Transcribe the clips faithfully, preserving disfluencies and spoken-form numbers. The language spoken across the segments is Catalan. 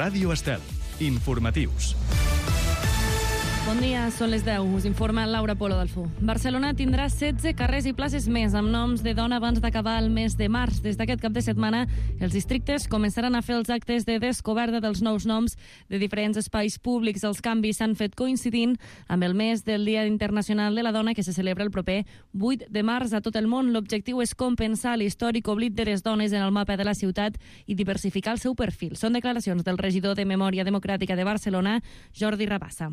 Ràdio Estel. Informatius. Bon dia, són les deu. Us informa Laura Polo Dalfú. Barcelona tindrà setze carrers i places més amb noms de dona abans d'acabar el mes de març. Des d'aquest cap de setmana, els districtes començaran a fer els actes de descoberta dels nous noms de diferents espais públics. Els canvis s'han fet coincidint amb el mes del Dia Internacional de la Dona, que se celebra el proper vuit de març a tot el món. L'objectiu és compensar l'històric oblit de les dones en el mapa de la ciutat i diversificar el seu perfil. Són declaracions del regidor de Memòria Democràtica de Barcelona, Jordi Rabassa.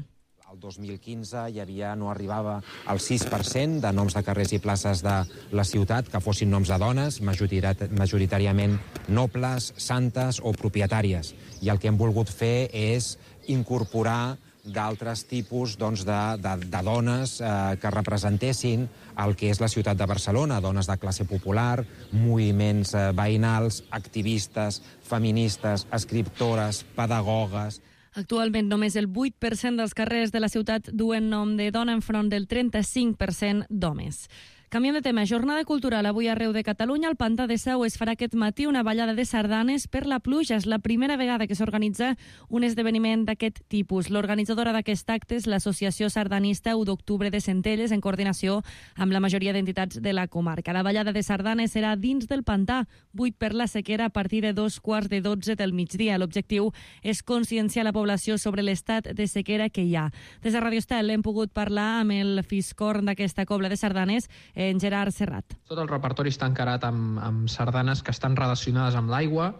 El dos mil quinze hi havia, no arribava al sis per cent de noms de carrers i places de la ciutat que fossin noms de dones, majoritàriament nobles, santes o propietàries. I el que hem volgut fer és incorporar d'altres tipus doncs, de, de, de dones eh, que representessin el que és la ciutat de Barcelona, dones de classe popular, moviments eh, veïnals, activistes, feministes, escriptores, pedagogues. Actualment només el vuit per cent dels carrers de la ciutat duen nom de dona enfront del trenta-cinc per cent d'homes. Canviem de tema. Jornada cultural avui arreu de Catalunya. Al Pantà de Sau es farà aquest matí una ballada de sardanes per la pluja. És la primera vegada que s'organitza un esdeveniment d'aquest tipus. L'organitzadora d'aquest acte és l'Associació Sardanista u d'Octubre de Centelles, en coordinació amb la majoria d'entitats de la comarca. La ballada de sardanes serà dins del Pantà, buit per la sequera a partir de dos quarts de dotze del migdia. L'objectiu és conscienciar la població sobre l'estat de sequera que hi ha. Des de Radio Estel hem pogut parlar amb el fiscorn d'aquesta cobla de sardanes, en Gerard Serrat. Tot el repertori està encarat amb, amb sardanes que estan relacionades amb l'aigua,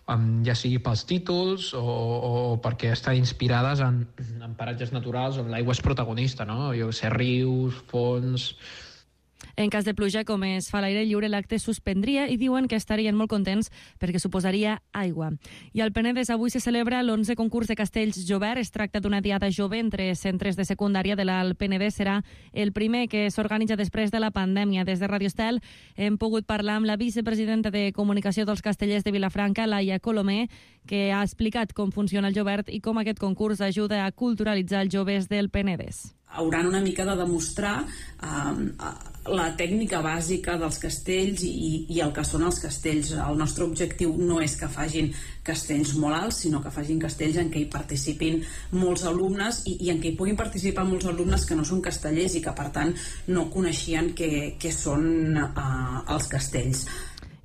amb, ja sigui pels títols o, o perquè estan inspirades en, en paratges naturals on l'aigua és protagonista, no? Jo sé, rius, fonts... En cas de pluja, com es fa a l'aire lliure, l'acte suspendria i diuen que estarien molt contents perquè suposaria aigua. I al Penedès avui se celebra l'onze concurs de castells Jovert. Es tracta d'una diada jove entre centres de secundària de l'Alt Penedès. Serà el primer que s'organitza després de la pandèmia. Des de Radio Estel hem pogut parlar amb la vicepresidenta de Comunicació dels Castellers de Vilafranca, Laia Colomer, que ha explicat com funciona el Jovert i com aquest concurs ajuda a culturalitzar els joves del Penedès. Hauran una mica de demostrar eh, la tècnica bàsica dels castells i, i el que són els castells. El nostre objectiu no és que facin castells molt alts, sinó que facin castells en què hi participin molts alumnes i, i en què hi puguin participar molts alumnes que no són castellers i que per tant no coneixien què, què són eh, els castells.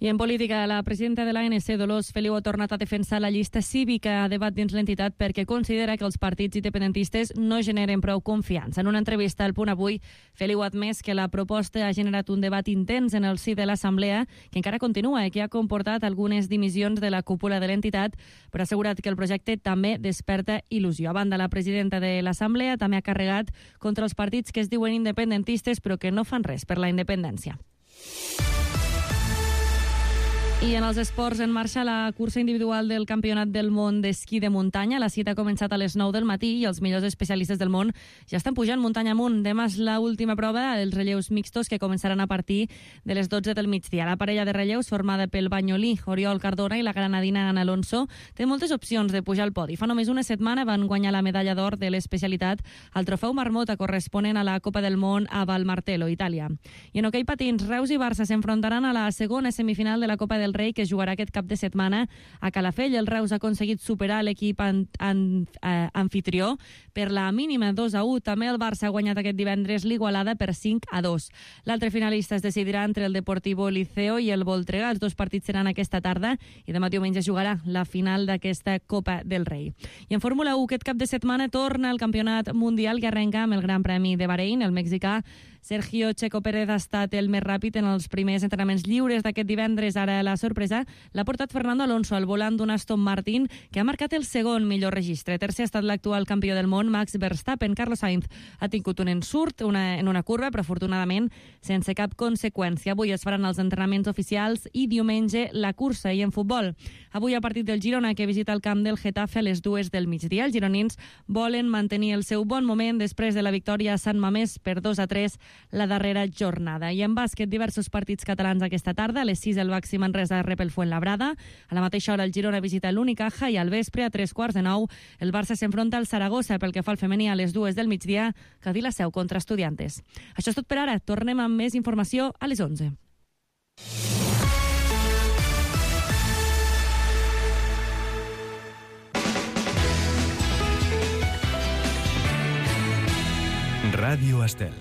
I en política, la presidenta de l'A N C, Dolors Feliu, ha tornat a defensar la llista cívica a debat dins l'entitat perquè considera que els partits independentistes no generen prou confiança. En una entrevista al Punt Avui, Feliu ha admès que la proposta ha generat un debat intens en el si de l'Assemblea, que encara continua i que ha comportat algunes dimissions de la cúpula de l'entitat, però ha assegurat que el projecte també desperta il·lusió. A banda, la presidenta de l'Assemblea també ha carregat contra els partits que es diuen independentistes però que no fan res per la independència. I en els esports, en marxa la cursa individual del Campionat del Món d'Esquí de Muntanya. La cita ha començat a les nou del matí i els millors especialistes del món ja estan pujant muntanya amunt. Demà és l'última prova, els relleus mixtos, que començaran a partir de les dotze del migdia. La parella de relleus, formada pel banyolí Oriol Cardona i la granadina Ana Alonso, té moltes opcions de pujar al podi. Fa només una setmana van guanyar la medalla d'or de l'especialitat al trofeu Marmota, corresponent a la Copa del Món a Valmartello, Itàlia. I en hoquei patins, Reus i Barça s'enfrontaran a la segona semifinal de la Copa del Rei, que jugarà aquest cap de setmana a Calafell. El Reus ha aconseguit superar l'equip an, an, eh, anfitrió per la mínima dos a u. També el Barça ha guanyat aquest divendres l'Igualada per cinc a dos. L'altre finalista es decidirà entre el Deportivo Liceo i el Voltregà. Els dos partits seran aquesta tarda i demà diumenge jugarà la final d'aquesta Copa del Rei. I en Fórmula u, aquest cap de setmana torna el Campionat Mundial, que arrenca amb el Gran Premi de Bahrein. El mexicà Sergio Checo Pérez ha estat el més ràpid en els primers entrenaments lliures d'aquest divendres. Ara la sorpresa l'ha portat Fernando Alonso al volant d'un Aston Martin, que ha marcat el segon millor registre. Tercer ha estat l'actual campió del món, Max Verstappen. Carlos Sainz ha tingut un ensurt una, en una curva, però afortunadament sense cap conseqüència. Avui es faran els entrenaments oficials i diumenge la cursa. I en futbol, avui a partit del Girona, que visita el camp del Getafe a les dues del migdia. Els gironins volen mantenir el seu bon moment després de la victòria a Sant Mamés per dos a tres la darrera jornada. I en bàsquet, diversos partits catalans aquesta tarda. A les sis el Baxi Manresa rep el Fuenlabrada. A la mateixa hora el Girona visita l'Unicaja i al vespre a tres quarts de nou el Barça s'enfronta al Saragossa. Pel que fa al femení, a les dues del migdia Cadí la Seu contra Estudiantes. Això és tot per ara. Tornem amb més informació a les onze. Ràdio Estel.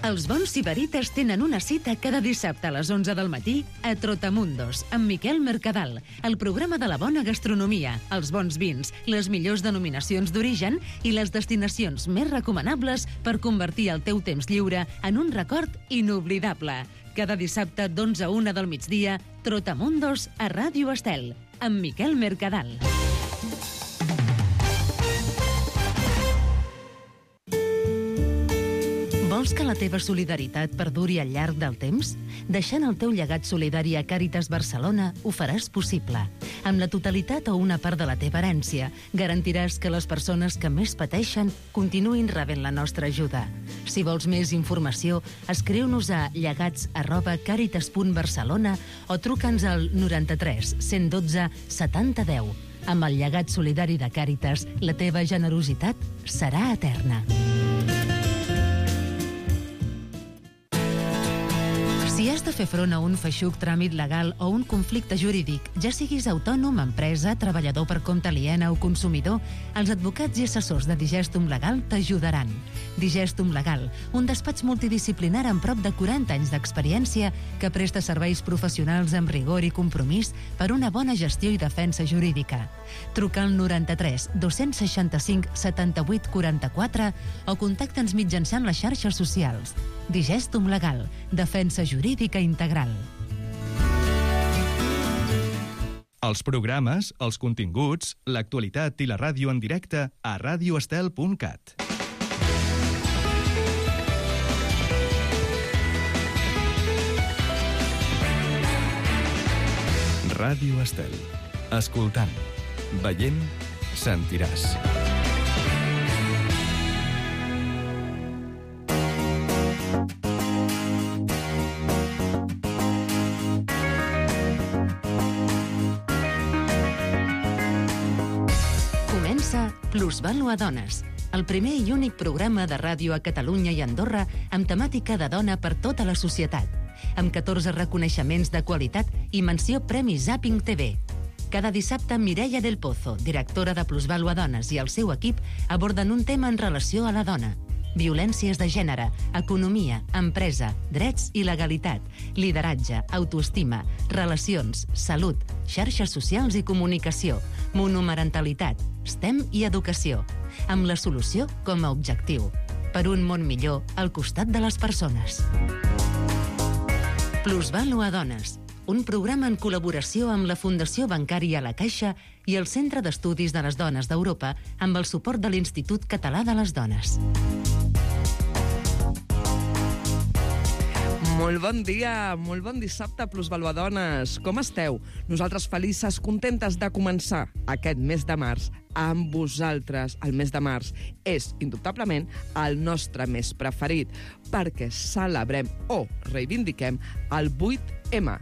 Els bons sibarites tenen una cita cada dissabte a les onze del matí a Trotamundos, amb Miquel Mercadal, el programa de la bona gastronomia, els bons vins, les millors denominacions d'origen i les destinacions més recomanables per convertir el teu temps lliure en un record inoblidable. Cada dissabte d'onze a una del migdia, Trotamundos a Ràdio Estel, amb Miquel Mercadal. Vols que la teva solidaritat perduri al llarg del temps? Deixant el teu llegat solidari a Càritas Barcelona ho faràs possible. Amb la totalitat o una part de la teva herència, garantiràs que les persones que més pateixen continuïn rebent la nostra ajuda. Si vols més informació, escriu-nos a llegats arroba càritas punt barcelona o truca'ns al noranta-tres cent dotze setanta deu. Amb el llegat solidari de Càritas, la teva generositat serà eterna. Si has de fer front a un feixuc tràmit legal o un conflicte jurídic, ja siguis autònom, empresa, treballador per compte aliena o consumidor, els advocats i assessors de Digestum Legal t'ajudaran. Digestum Legal, un despatx multidisciplinar amb prop de quaranta anys d'experiència que presta serveis professionals amb rigor i compromís per una bona gestió i defensa jurídica. Truca al noranta-tres dos-cents seixanta-cinc setanta-vuit quaranta-quatre o contacta'ns mitjançant les xarxes socials. Digestum Legal, defensa jurídica integral. Els programes, els continguts, l'actualitat i la ràdio en directe a radioestel punt cat. Ràdio Estel. Escoltant, veient, sentiràs. Plusvalua Dones, el primer i únic programa de ràdio a Catalunya i Andorra amb temàtica de dona per tota la societat, amb catorze reconeixements de qualitat i menció Premi Zapping T V. Cada dissabte, Mireia del Pozo, directora de Plusvalua Dones, i el seu equip aborden un tema en relació a la dona. Violències de gènere, economia, empresa, drets i legalitat, lideratge, autoestima, relacions, salut, xarxes socials i comunicació, monomarentalitat, STEM i educació, amb la solució com a objectiu. Per un món millor al costat de les persones. Plusvalua Dones, un programa en col·laboració amb la Fundació Bancària La Caixa i el Centre d'Estudis de les Dones d'Europa amb el suport de l'Institut Català de les Dones. Molt bon dia, molt bon dissabte, Plusvalua Dones. Com esteu? Nosaltres felices, contentes de començar aquest mes de març amb vosaltres. El mes de març és, indubtablement, el nostre mes preferit perquè celebrem o reivindiquem el vuit ema.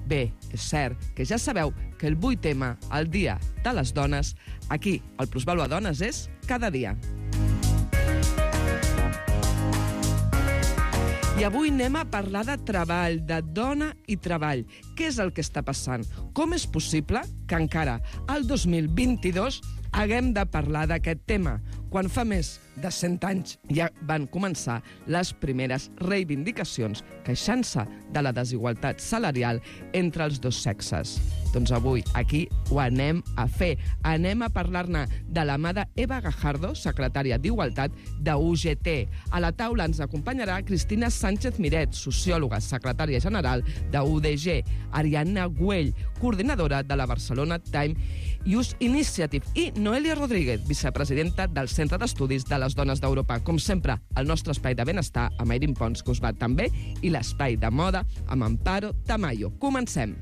Bé, és cert que ja sabeu que el vuit ema, el Dia de les Dones, aquí, al Plusvalua Dones, és cada dia. I avui anem a parlar de treball, de dona i treball. Què és el que està passant? Com és possible que encara el dos mil vint-i-dos haguem de parlar d'aquest tema, quan fa més de cent anys ja van començar les primeres reivindicacions queixant-se de la desigualtat salarial entre els dos sexes. Doncs avui aquí ho anem a fer. Anem a parlar-ne de la mà d'Eva Gajardo, secretària d'Igualtat de U G T. A la taula ens acompanyarà Cristina Sánchez Miret, sociòloga, secretària general de U D G, Ariadna Güell, coordinadora de la Barcelona Time Youth Initiative, i Noelia Rodríguez, vicepresidenta del Centre d'Estudis de les Dones d'Europa. Com sempre, el nostre espai de benestar amb Airin Pons, que us va també, i l'espai de moda amb Amparo Tamayo. Comencem.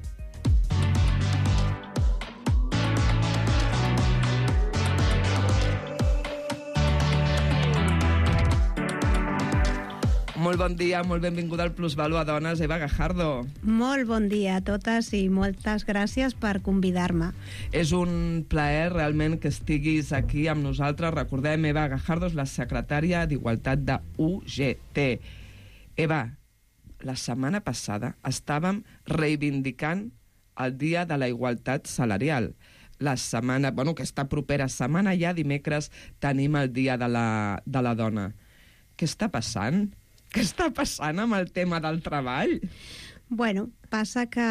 Molt bon dia, molt benvinguda al Plusvalua Dones, Eva Gajardo. Molt bon dia a totes i moltes gràcies per convidar-me. És un plaer realment que estiguis aquí amb nosaltres. Recordem, Eva Gajardo és la secretària d'Igualtat de U G T. Eva, la setmana passada estàvem reivindicant el Dia de la Igualtat Salarial. la setmana, bueno, aquesta propera setmana ja, dimecres, tenim el Dia de la, de la Dona. Què està passant? Què està passant amb el tema del treball? Bueno, passa que,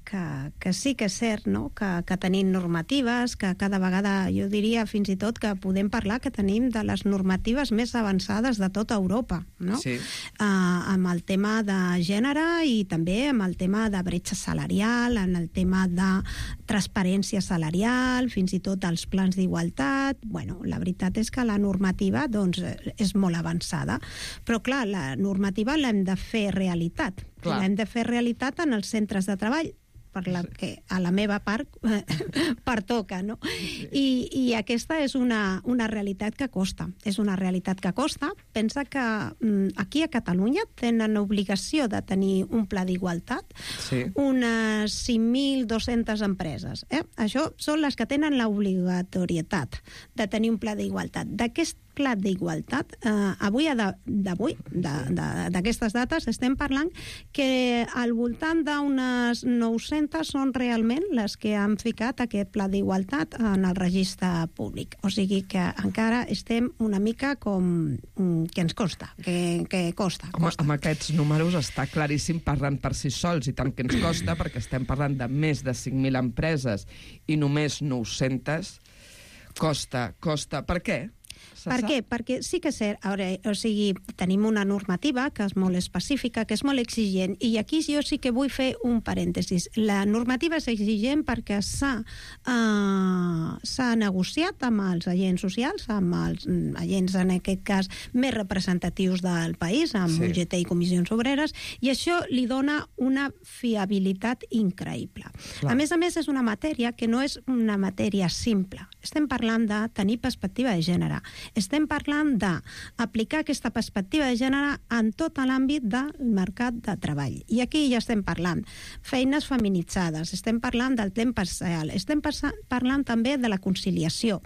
que, que sí que és cert, no? que, que tenim normatives, que cada vegada, jo diria fins i tot que podem parlar que tenim de les normatives més avançades de tota Europa, no? Sí. Uh, amb el tema de gènere i també amb el tema de bretxa salarial, en el tema de transparència salarial, fins i tot els plans d'igualtat. Bueno, la veritat és que la normativa doncs, és molt avançada, però clar, la normativa l'hem de fer realitat. Clar. L'hem de fer realitat en els centres de treball, per la que a la meva part pertoca, no? I, i aquesta és una, una realitat que costa. És una realitat que costa. Pensa que mm, aquí a Catalunya tenen obligació de tenir un pla d'igualtat, sí. unes cinc mil dos-centes empreses. Eh? Això són les que tenen l'obligatorietat de tenir un pla d'igualtat. D'aquest pla d'igualtat, eh, avui, d'avui, d'aquestes dates, estem parlant que al voltant d'unes nou-centes són realment les que han ficat aquest pla d'igualtat en el registre públic. O sigui que encara estem una mica com que ens costa, que, que costa. Home, costa. amb aquests números està claríssim parlant per si sols, i tant que ens costa, perquè estem parlant de més de cinc mil empreses i només nou-centes. Costa, costa. Per què? Per què? Perquè sí que és cert, ara, o sigui, tenim una normativa que és molt específica, que és molt exigent, i aquí jo sí que vull fer un parèntesis. La normativa és exigent perquè s'ha uh, s'ha negociat amb els agents socials, amb els agents, en aquest cas, més representatius del país, amb sí. U G T i Comissions Obreres, i això li dona una fiabilitat increïble. Clar. A més a més, és una matèria que no és una matèria simple. Estem parlant de tenir perspectiva de gènere. Estem parlant d'aplicar aquesta perspectiva de gènere en tot l'àmbit del mercat de treball. I aquí ja estem parlant feines feminitzades, estem parlant del temps parcial, estem parlant també de la conciliació.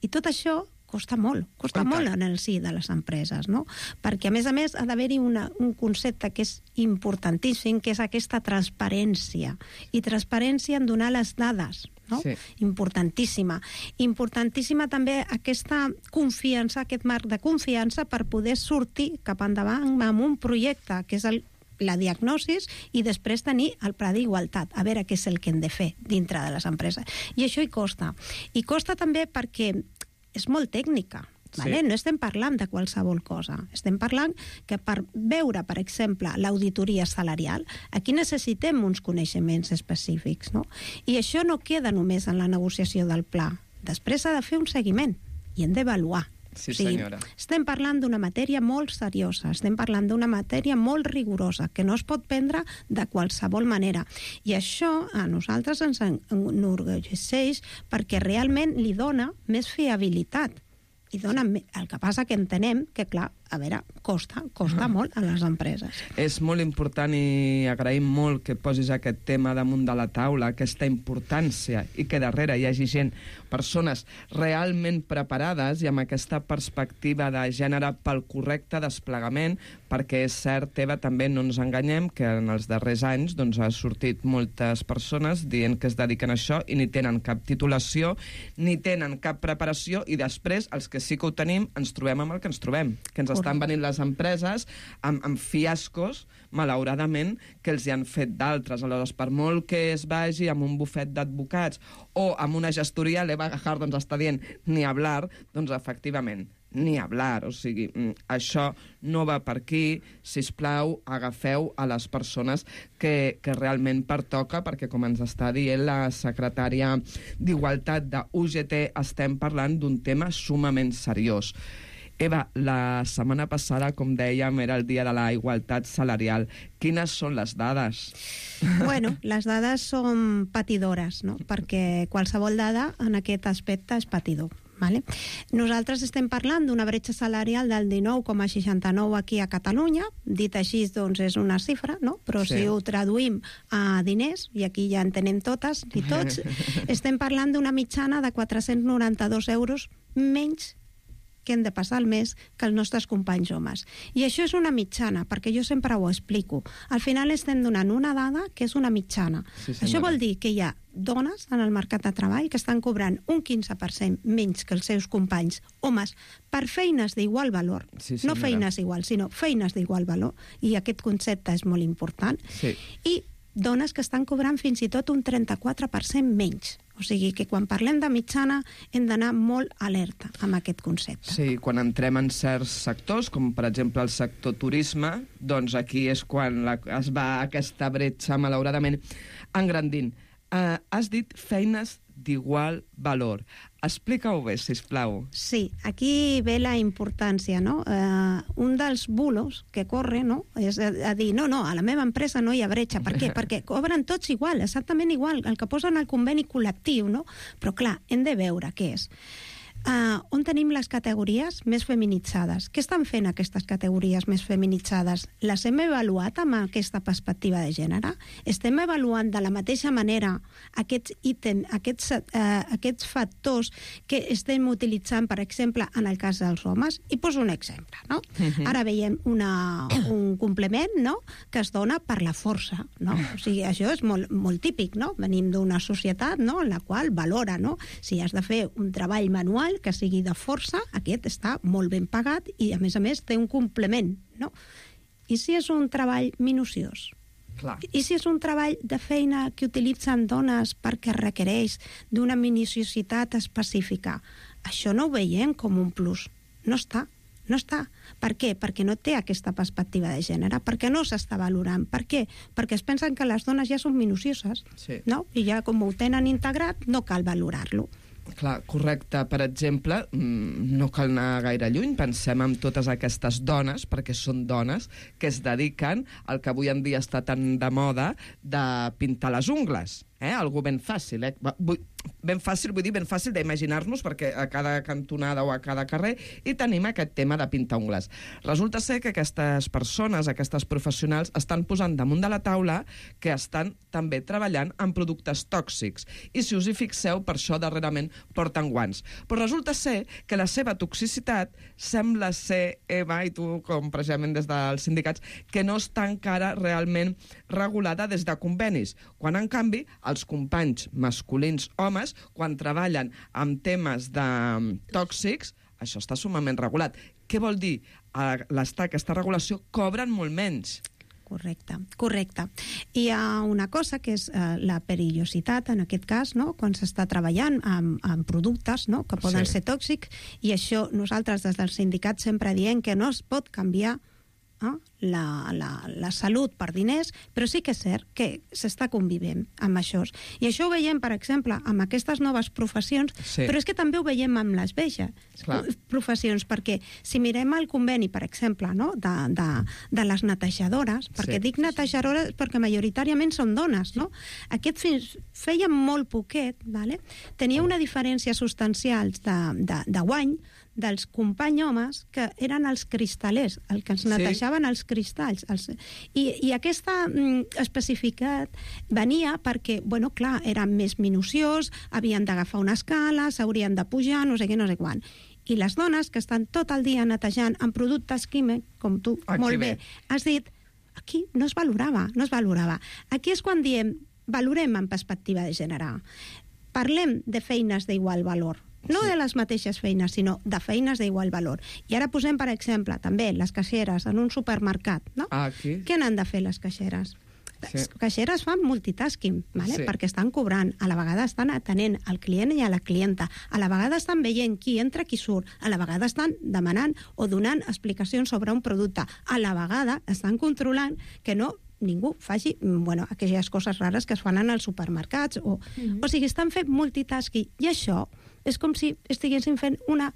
I tot això costa molt, costa Quanta? molt en el si de les empreses, no? Perquè, a més a més, ha d'haver-hi un concepte que és importantíssim, que és aquesta transparència. I transparència en donar les dades, no? Sí. Importantíssima. Importantíssima també aquesta confiança, aquest marc de confiança per poder sortir cap endavant amb un projecte, que és el la diagnosis, i després tenir el pla d'igualtat, a veure què és el que hem de fer dintre de les empreses. I això hi costa. I costa també perquè és molt tècnica. Vale? Sí. No estem parlant de qualsevol cosa. Estem parlant que per veure, per exemple, l'auditoria salarial, aquí necessitem uns coneixements específics, no? I això no queda només en la negociació del pla. Després s'ha de fer un seguiment i hem d'avaluar. Sí, o sigui, senyora. Estem parlant d'una matèria molt seriosa, estem parlant d'una matèria molt rigorosa, que no es pot prendre de qualsevol manera. I això a nosaltres ens enorgulleix perquè realment li dona més fiabilitat. I dona, el que passa que entenem que, clar, a veure, costa, costa uh-huh. molt a les empreses. És molt important i agraïm molt que posis aquest tema damunt de la taula, aquesta importància, i que darrere hi hagi gent, persones realment preparades i amb aquesta perspectiva de gènere pel correcte desplegament, perquè és cert, Eva, també no ens enganyem, que en els darrers anys doncs, ha sortit moltes persones dient que es dediquen a això i ni tenen cap titulació, ni tenen cap preparació, i després, els que sí que ho tenim, ens trobem amb el que ens trobem, que ens estan venint les empreses amb, amb fiascos, malauradament, que els hi han fet d'altres. Aleshores, per molt que es vagi amb un bufet d'advocats o amb una gestoria, l'Eva Gajar doncs, està dient ni hablar, doncs efectivament, ni hablar. O sigui, això no va per aquí. Sisplau, agafeu a les persones que, que realment pertoca, perquè, com ens està dient la secretària d'Igualtat de U G T, estem parlant d'un tema sumament seriós. Eva, la setmana passada, com dèiem, era el dia de la igualtat salarial. Quines són les dades? Bueno, les dades són patidores, no? Perquè qualsevol dada en aquest aspecte és patidor. Vale? Nosaltres estem parlant d'una bretxa salarial del dinou coma seixanta-nou aquí a Catalunya. Dit així, doncs, és una xifra, no? Però sí. Si ho traduïm a diners, i aquí ja en tenem totes i tots, estem parlant d'una mitjana de quatre-cents noranta-dos euros menys que hem de passar al mes que els nostres companys homes. I això és una mitjana, perquè jo sempre ho explico. Al final estem donant una dada que és una mitjana. Sí, això vol dir que hi ha dones en el mercat de treball que estan cobrant un quinze per cent menys que els seus companys homes per feines d'igual valor. Sí, no feines iguals, sinó feines d'igual valor. I aquest concepte és molt important. Sí. I dones que estan cobrant fins i tot un trenta-quatre per cent menys. O sigui que quan parlem de mitjana hem d'anar molt alerta amb aquest concepte. Sí, quan entrem en certs sectors, com per exemple el sector turisme, doncs aquí és quan la, es va aquesta bretxa, malauradament, engrandint. Uh, has dit feines d'igual valor. Explica-ho bé, sisplau. Sí, aquí ve la importància, no? Uh, un dels bulos que corre, no?, és a, a dir, no, no, a la meva empresa no hi ha bretxa. Per què? Perquè cobren tots igual, exactament igual, el que posen al conveni col·lectiu, no? Però clar, hem de veure què és. Uh, on tenim les categories més feminitzades? Què estan fent aquestes categories més feminitzades? Les hem avaluat amb aquesta perspectiva de gènere? Estem avaluant de la mateixa manera aquests ítems, aquests, uh, aquests factors que estem utilitzant, per exemple, en el cas dels homes? I poso un exemple, no? Uh-huh. Ara veiem una, un complement, no?, que es dona per la força, no? O sigui, això és molt, molt típic, no? Venim d'una societat, no?, en la qual valora, no?, si has de fer un treball manual que sigui de força, aquest està molt ben pagat i, a més a més, té un complement, no? I si és un treball minuciós? Clar. I si és un treball de feina que utilitzen dones perquè requereix d'una minuciositat específica? Això no ho veiem com un plus. No està. No està. Per què? Perquè no té aquesta perspectiva de gènere, perquè no s'està valorant. Per què? Perquè es pensen que les dones ja són minucioses, sí, no? I ja com ho tenen integrat, no cal valorar-lo. Clar, correcte. Per exemple, no cal anar gaire lluny, pensem en totes aquestes dones, perquè són dones, que es dediquen al que avui en dia està tan de moda de pintar les ungles. Eh? Algú ben fàcil, eh? Ben fàcil, vull dir, ben fàcil d'imaginar-nos, perquè a cada cantonada o a cada carrer hi tenim aquest tema de pintar ungles. Resulta ser que aquestes persones, aquestes professionals, estan posant damunt de la taula que estan també treballant en productes tòxics. I si us hi fixeu, per això darrerament porten guants. Però resulta ser que la seva toxicitat sembla ser, Eva, i tu com precisament des dels sindicats, que no està encara realment regulada des de convenis, quan en canvi els companys masculins homes, quan treballen amb temes de tòxics, això està sumament regulat. Què vol dir? A l'estar aquesta regulació cobren molt menys. Correcte, correcte. Hi ha una cosa que és eh, la perillositat, en aquest cas, no?, quan s'està treballant amb, amb productes, no?, que poden sí. ser tòxics, i això nosaltres des del sindicat sempre diem que no es pot canviar eh, la, la, la salut per diners, però sí que és cert que s'està convivent amb això. I això ho veiem, per exemple, amb aquestes noves professions, sí. però és que també ho veiem amb les velles professions, perquè si mirem el conveni, per exemple, no?, de, de, de les netejadores, perquè sí. dic netejadores perquè majoritàriament són dones, no? Aquest fins feia molt poquet, vale? Tenia una diferència substancial de, de, de guany dels companys homes que eren els cristalers, el que ens netejaven sí. els cristalls. Els... I, I aquesta mm, especificitat venia perquè, bueno, clar, eren més minuciós, havien d'agafar una escala, s'haurien de pujar, no sé què, no sé quan. I les dones que estan tot el dia netejant amb productes químics, com tu aquí molt bé, bé has dit, aquí no es valorava, no es valorava. Aquí és quan diem, valorem en perspectiva de gènere. Parlem de feines d'igual valor. No sí. de les mateixes feines, sinó de feines d'igual valor. I ara posem, per exemple, també les caixeres en un supermercat, no? Ah, aquí. Què n'han de fer les caixeres? Sí. Les caixeres fan multitasking, vale? Sí. Perquè estan cobrant, a la vegada estan atenent al client i a la clienta, a la vegada estan veient qui entra, qui surt, a la vegada estan demanant o donant explicacions sobre un producte, a la vegada estan controlant que no ningú faci, bueno, aquelles coses rares que es fan en els supermercats. O, mm-hmm. o sigui, estan fent multitasking. I això és com si estiguessin fent una,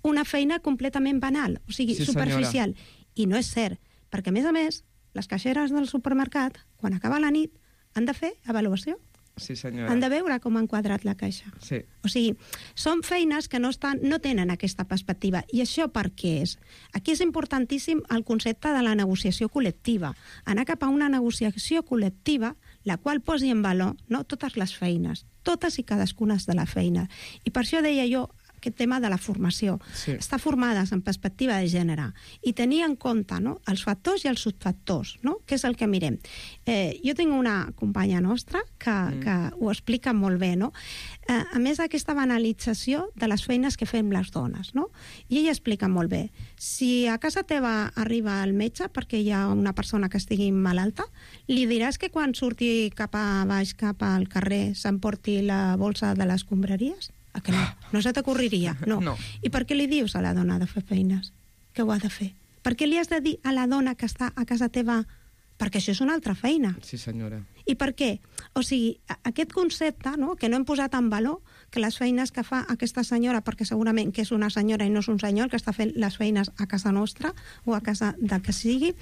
una feina completament banal, o sigui, sí, superficial. Senyora. I no és cert, perquè, a més a més, les caixeres del supermercat, quan acaba la nit, han de fer avaluació. Sí, senyora. Han de veure com han quadrat la caixa. Sí. O sigui, són feines que no, estan, no tenen aquesta perspectiva. I això per què és? Aquí és importantíssim el concepte de la negociació col·lectiva. Anar cap a una negociació col·lectiva, la qual posi en valor, no, totes les feines, totes i cadascunes de la feina. I per això deia jo, aquest tema de la formació. Sí. Estar formades en perspectiva de gènere i tenir en compte, no?, els factors i els subfactors, no?, que és el que mirem. Eh, jo tinc una companya nostra que, mm. que ho explica molt bé, no? Eh, a més, aquesta banalització de les feines que fem les dones, no? I ella explica molt bé. Si a casa teva arriba el metge perquè hi ha una persona que estigui malalta, li diràs que quan surti cap a baix, cap al carrer, s'emporti la bolsa de les escombraries? A que no? No se t'ocorriria? No. No. I per què li dius a la dona de fer feines? Que ho ha de fer? Per què li has de dir a la dona que està a casa teva? Perquè això és una altra feina. Sí, senyora. I per què? O sigui, aquest concepte, no?, que no hem posat en valor, que les feines que fa aquesta senyora, perquè segurament que és una senyora i no és un senyor que està fent les feines a casa nostra o a casa del que sigui,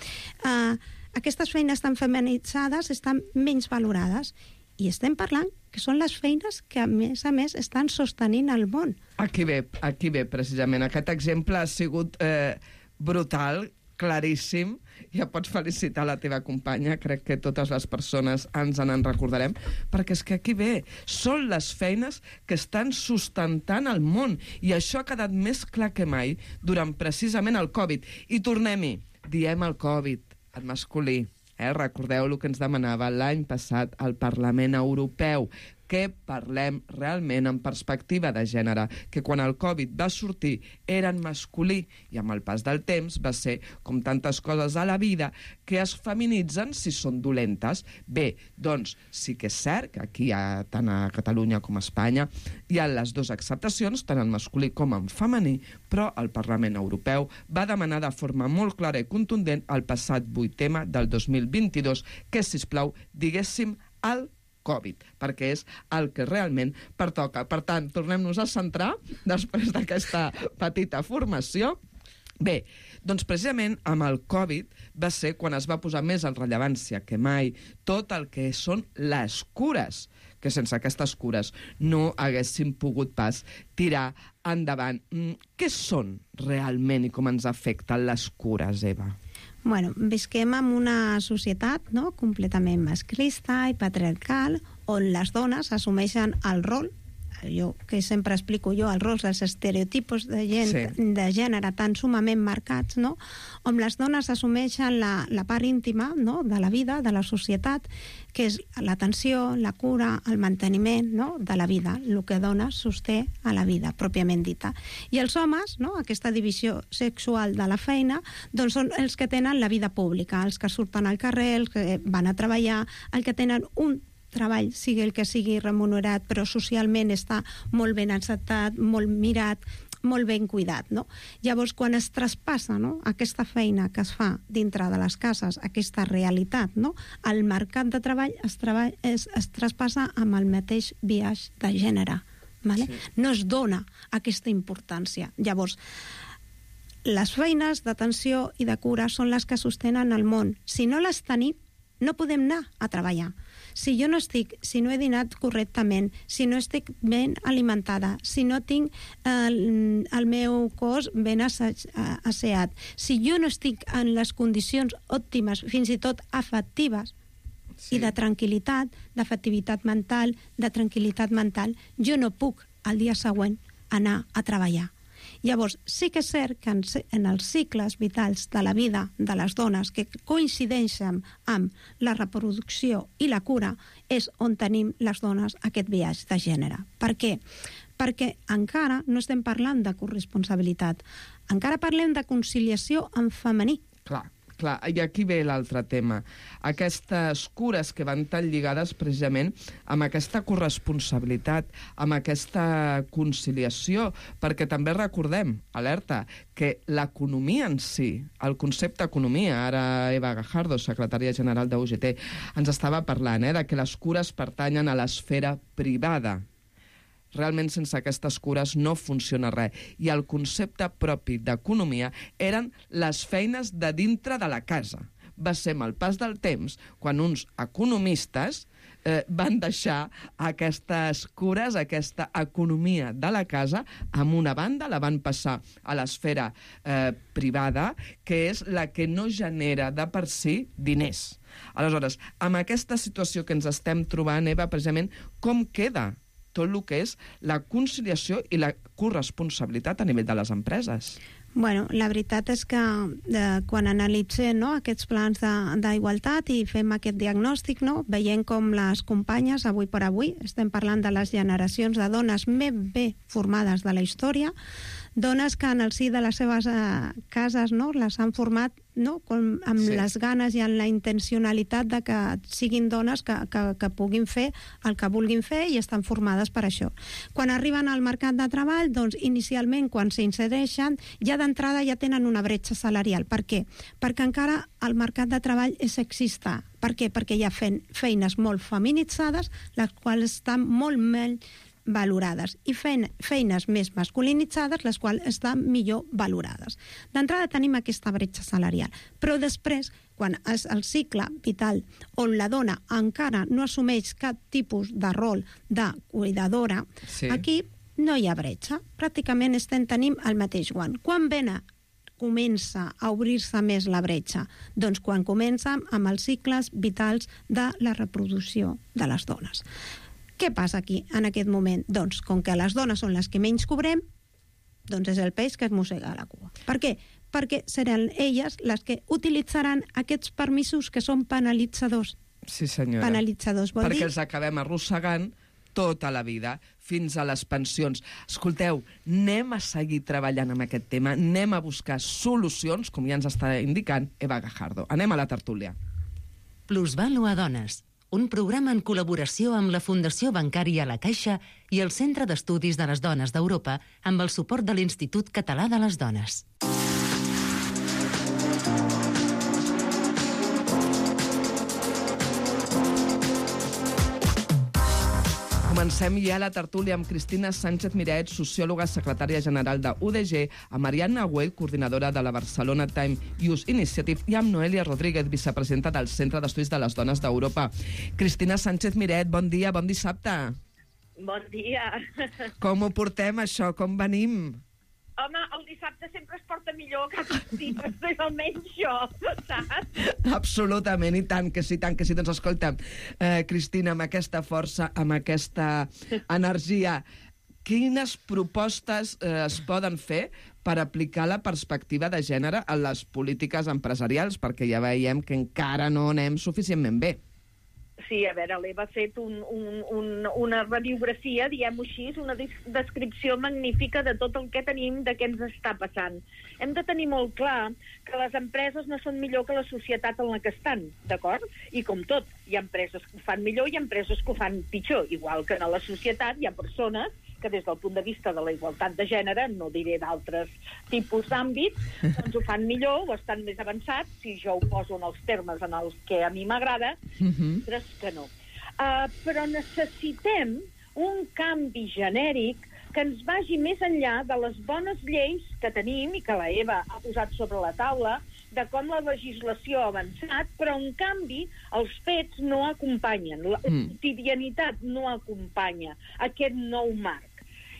eh, aquestes feines tan feminitzades estan menys valorades. I estem parlant que són les feines que, a més a més, estan sostenint el món. Aquí ve, aquí ve, precisament. Aquest exemple ha sigut eh, brutal, claríssim. Ja pots felicitar la teva companya, crec que totes les persones ens en recordarem, perquè és que aquí ve, són les feines que estan sustentant el món, i això ha quedat més clar que mai durant precisament el Covid. I tornem-hi, diem el Covid, en masculí. Eh? Recordeu el que ens demanava l'any passat al Parlament Europeu, que parlem realment en perspectiva de gènere, que quan el Covid va sortir era en masculí i amb el pas del temps va ser, com tantes coses a la vida, que es feminitzen si són dolentes. Bé, doncs sí que és cert que aquí, a, tant a Catalunya com a Espanya, hi ha les dues acceptacions, tant en masculí com en femení, però el Parlament Europeu va demanar de forma molt clara i contundent el passat vuit M del dos mil vint-i-dos que, sisplau, diguéssim el Covid, perquè és el que realment pertoca. Per tant, tornem-nos a centrar després d'aquesta petita formació. Bé, doncs precisament amb el Covid va ser quan es va posar més en rellevància que mai tot el que són les cures, que sense aquestes cures no haguéssim pogut pas tirar endavant. Què són realment i com ens afecten les cures, Eva? Bueno, visquem en una societat, no?, completament masclista i patriarcal, on les dones assumeixen el rol, jo que sempre explico jo, els rols, els estereotipos de, gent, sí. de gènere tan sumament marcats, no?, on les dones assumeixen la, la part íntima, no?, de la vida, de la societat, que és l'atenció, la cura, el manteniment, no?, de la vida, el que dona sosté a la vida, pròpiament dita. I els homes, no?, aquesta divisió sexual de la feina, doncs són els que tenen la vida pública, els que surten al carrer, els que van a treballar, els que tenen un treball, sigui el que sigui remunerat, però socialment està molt ben acceptat, molt mirat, molt ben cuidat, no? Llavors, quan es traspassa, no?, aquesta feina que es fa dintre de les cases, aquesta realitat, no?, el mercat de treball es, treball, es, es traspassa amb el mateix biaix de gènere, vale? Sí. No es dona aquesta importància. Llavors, les feines d'atenció i de cura són les que sostenen el món. Si no les tenim, no podem anar a treballar. Si jo no estic, si no he dinat correctament, si no estic ben alimentada, si no tinc el, el meu cos ben asseat, si jo no estic en les condicions òptimes, fins i tot afectives, sí. i de tranquil·litat, d'afectivitat mental, de tranquil·litat mental, jo no puc al dia següent anar a treballar. Llavors, sí que és cert que en, en els cicles vitals de la vida de les dones que coincideixen amb la reproducció i la cura és on tenim les dones aquest viatge de gènere. Per què? Perquè encara no estem parlant de corresponsabilitat, encara parlem de conciliació en femení. Clar. Clar, i aquí ve l'altre tema. Aquestes cures que van tan lligades precisament amb aquesta corresponsabilitat, amb aquesta conciliació, perquè també recordem, alerta, que l'economia en si, el concepte economia, ara Eva Gajardo, secretària general de U G T, ens estava parlant eh, de que les cures pertanyen a l'esfera privada. Realment sense aquestes cures no funciona res. I el concepte propi d'economia eren les feines de dintre de la casa. Va ser amb el pas del temps quan uns economistes eh, van deixar aquestes cures, aquesta economia de la casa, amb una banda, la van passar a l'esfera eh, privada, que és la que no genera de per si diners. Aleshores, amb aquesta situació que ens estem trobant, Eva, precisament, com queda tot el que és la conciliació i la corresponsabilitat a nivell de les empreses. Bueno, la veritat és que eh, quan analitzem, no, aquests plans d'igualtat i fem aquest diagnòstic, no, veiem com les companyes, avui per avui, estem parlant de les generacions de dones més bé formades de la història, dones que en el si de les seves eh, cases, no, les han format, no, com, amb sí. les ganes i amb la intencionalitat de que siguin dones que, que, que puguin fer el que vulguin fer i estan formades per això. Quan arriben al mercat de treball, doncs inicialment quan s'insereixen, ja d'entrada ja tenen una bretxa salarial. Per què? Perquè encara el mercat de treball és sexista. Per què? Perquè hi ha feines molt feminitzades, les quals estan molt menys valorades, i feines més masculinitzades, les quals estan millor valorades. D'entrada tenim aquesta bretxa salarial, però després, quan és el cicle vital on la dona encara no assumeix cap tipus de rol de cuidadora, sí. aquí no hi ha bretxa. Pràcticament estem tenim el mateix guant. Quan vena comença a obrir-se més la bretxa? Doncs quan comença amb els cicles vitals de la reproducció de les dones. Què passa aquí, en aquest moment? Doncs, com que les dones són les que menys cobrem, doncs és el peix que es mossega la cua. Per què? Perquè seran elles les que utilitzaran aquests permisos que són penalitzadors. Sí, senyora. Penalitzadors vol Perquè dir... els acabem arrossegant tota la vida, fins a les pensions. Escolteu, anem a seguir treballant amb aquest tema, anem a buscar solucions, com ja ens està indicant Eva Gajardo. Anem a la tertúlia. Plusvàlua Dones, un programa en col·laboració amb la Fundació Bancària La Caixa i el Centre d'Estudis de les Dones d'Europa amb el suport de l'Institut Català de les Dones. Comencem ja la tertúlia amb Cristina Sánchez Miret, sociòloga, secretària general de U D G, a Marianna Güell, coordinadora de la Barcelona Time Youth Initiative, i amb Noelia Rodríguez, vicepresidenta del Centre d'Estudis de les Dones d'Europa. Cristina Sánchez Miret, bon dia, bon dissabte. Bon dia. Com ho portem, això? Com venim? Home, el dissabte sempre es porta millor que els dies, almenys jo, saps? Absolutament, i tant que sí, tant que sí. Doncs escolta, eh, Cristina, amb aquesta força, amb aquesta energia, quines propostes eh, es poden fer per aplicar la perspectiva de gènere a les polítiques empresarials? Perquè ja veiem que encara no anem suficientment bé. Sí, a veure, l'Eva ha fet un, un, un, una radiografia, diguem-ho així, una descripció magnífica de tot el que tenim, de què ens està passant. Hem de tenir molt clar que les empreses no són millor que la societat en la que estan, d'acord? I com tot, hi ha empreses que ho fan millor i empreses que ho fan pitjor. Igual que a la societat hi ha persones que des del punt de vista de la igualtat de gènere, no diré d'altres tipus d'àmbits, doncs ho fan millor o estan més avançats, si jo ho poso en els termes en els que a mi m'agrada, uh-huh. Però que no. Uh, però necessitem un canvi genèric que ens vagi més enllà de les bones lleis que tenim i que la Eva ha posat sobre la taula, de com la legislació ha avançat, però en canvi els fets no acompanyen, la quotidianitat no acompanya aquest nou marc.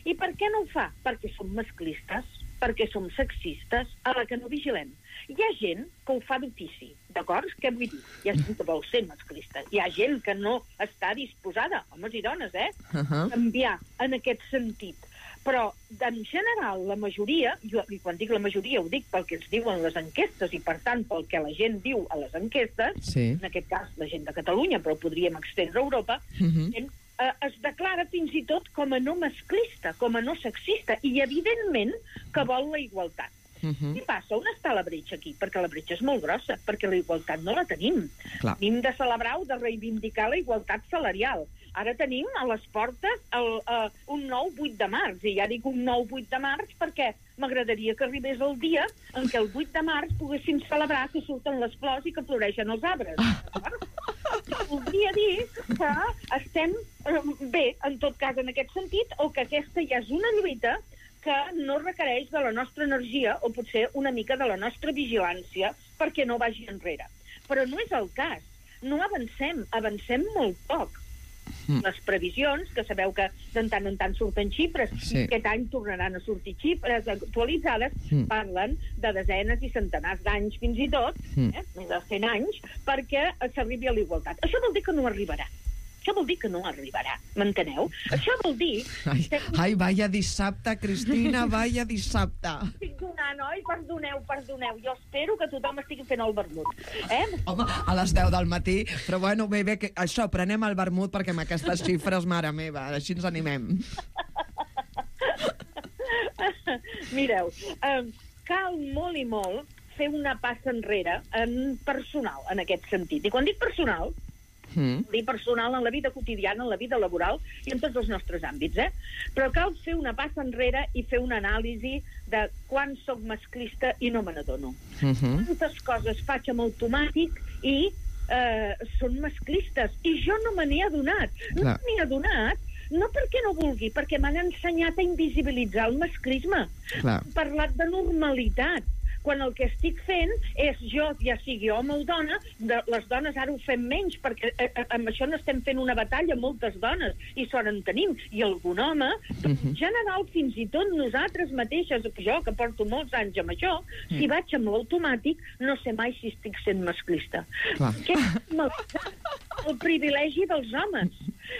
I per què no ho fa? Perquè som masclistes, perquè som sexistes, a la que no vigilem. Hi ha gent que ho fa d'ofici, d'acord? Què vull dir? Hi ha gent que vol ser masclista. Hi ha gent que no està disposada, homes i dones, eh? Uh-huh. Canviar en aquest sentit. Però, en general, la majoria, jo, i quan dic la majoria ho dic pel que ens diuen les enquestes i, per tant, pel que la gent diu a les enquestes, sí. En aquest cas la gent de Catalunya, però podríem extendre a Europa, uh-huh. gent, eh, es declara fins i tot com a no masclista, com a no sexista, i evidentment que vol la igualtat. Uh-huh. I passa, on està la bretxa aquí? Perquè la bretxa és molt grossa, perquè la igualtat no la tenim. Clar. Tenim de celebrar o de reivindicar la igualtat salarial. Ara tenim a les portes el, uh, un nou vuit de març, i ja dic un nou vuit de març perquè m'agradaria que arribés el dia en què el vuit de març poguéssim celebrar que surten les flors i que floreixen els arbres. Voldria dir que estem uh, bé, en tot cas, en aquest sentit, o que aquesta ja és una lluita que no requereix de la nostra energia o potser una mica de la nostra vigilància perquè no vagi enrere. Però no és el cas. No avancem, avancem molt poc. Mm. Les previsions, que sabeu que de tant en tant surten xifres, sí. I aquest any tornaran a sortir xifres actualitzades, mm. parlen de desenes i centenars d'anys fins i tot, mm. eh, més de cent anys, perquè s'arribi a la igualtat. Això vol dir que no arribarà. Això vol dir que no arribarà, m'enteneu? Això vol dir... Ai, ai, vaya dissabte, Cristina, vaya dissabte. Estic donant, oi? Perdoneu, perdoneu. Jo espero que tothom estigui fent el vermut. Eh? Home, a les deu del matí, però bueno, bé, bé, que això, prenem el vermut perquè amb aquestes xifres, mare meva, així ens animem. Mireu, eh, cal molt i molt fer una passa enrere en personal, en aquest sentit. I quan dic personal, mm. dic personal en la vida quotidiana, en la vida laboral i en tots els nostres àmbits, eh? Però cal fer una passa enrere i fer una anàlisi de quan soc masclista i no me n'adono. Mm-hmm. Quantes coses faig amb automàtic i eh, són masclistes. I jo no me n'he adonat. No me n'he adonat no perquè no vulgui, perquè m'han ensenyat a invisibilitzar el masclisme. Clar. He parlat de normalitat, quan el que estic fent és jo, ja sigui home o dona, de, les dones ara ho fem menys, perquè eh, eh, amb això no estem fent una batalla, moltes dones, i sort en tenim, i algun home, uh-huh. en general, fins i tot nosaltres mateixes, jo que porto molts anys amb això, uh-huh. si vaig amb l'automàtic, no sé mai si estic sent masclista. Clar. Que és el privilegi dels homes.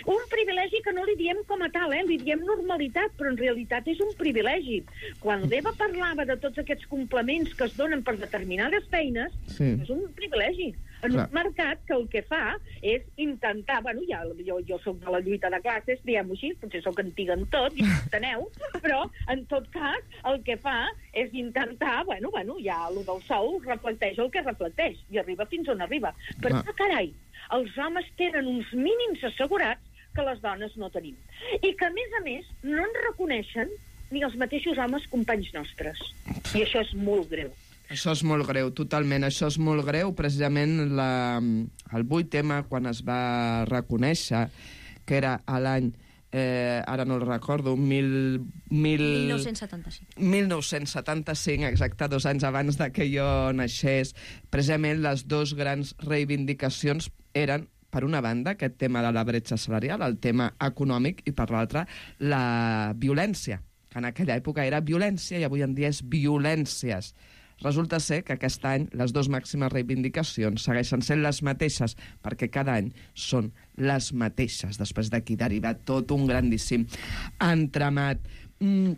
Un privilegi que no li diem com a tal, eh? Li diem normalitat, però en realitat és un privilegi. Quan l'Eva parlava de tots aquests complements que es donen per determinades feines, sí. és un privilegi. En Clar. Un mercat que el que fa és intentar... Bueno, ja, jo, jo soc de la lluita de classes, diguem-ho així, potser soc antiga en tot, ja ho enteneu, però en tot cas el que fa és intentar... Bueno, bueno, ja el del sou reflecteix el que reflecteix i arriba fins on arriba. Però, ah. carai, els homes tenen uns mínims assegurats que les dones no tenim. I que, a més a més, no en reconeixen ni els mateixos homes companys nostres. I això és molt greu. Això és molt greu, totalment. Això és molt greu. Precisament la, el vuit tema, quan es va reconèixer, que era a l'any, eh, ara no el recordo, mil, mil... mil nou-cents setanta-cinc. mil nou-cents setanta-cinc, exacte, dos anys abans de que jo naixés. Precisament les dues grans reivindicacions eren, per una banda, aquest tema de la bretxa salarial, el tema econòmic, i per l'altra, la violència, que en aquella època era violència i avui en dia és violències. Resulta ser que aquest any les dues màximes reivindicacions segueixen sent les mateixes, perquè cada any són les mateixes. Després d'aquí deriva tot un grandíssim entramat. Mm,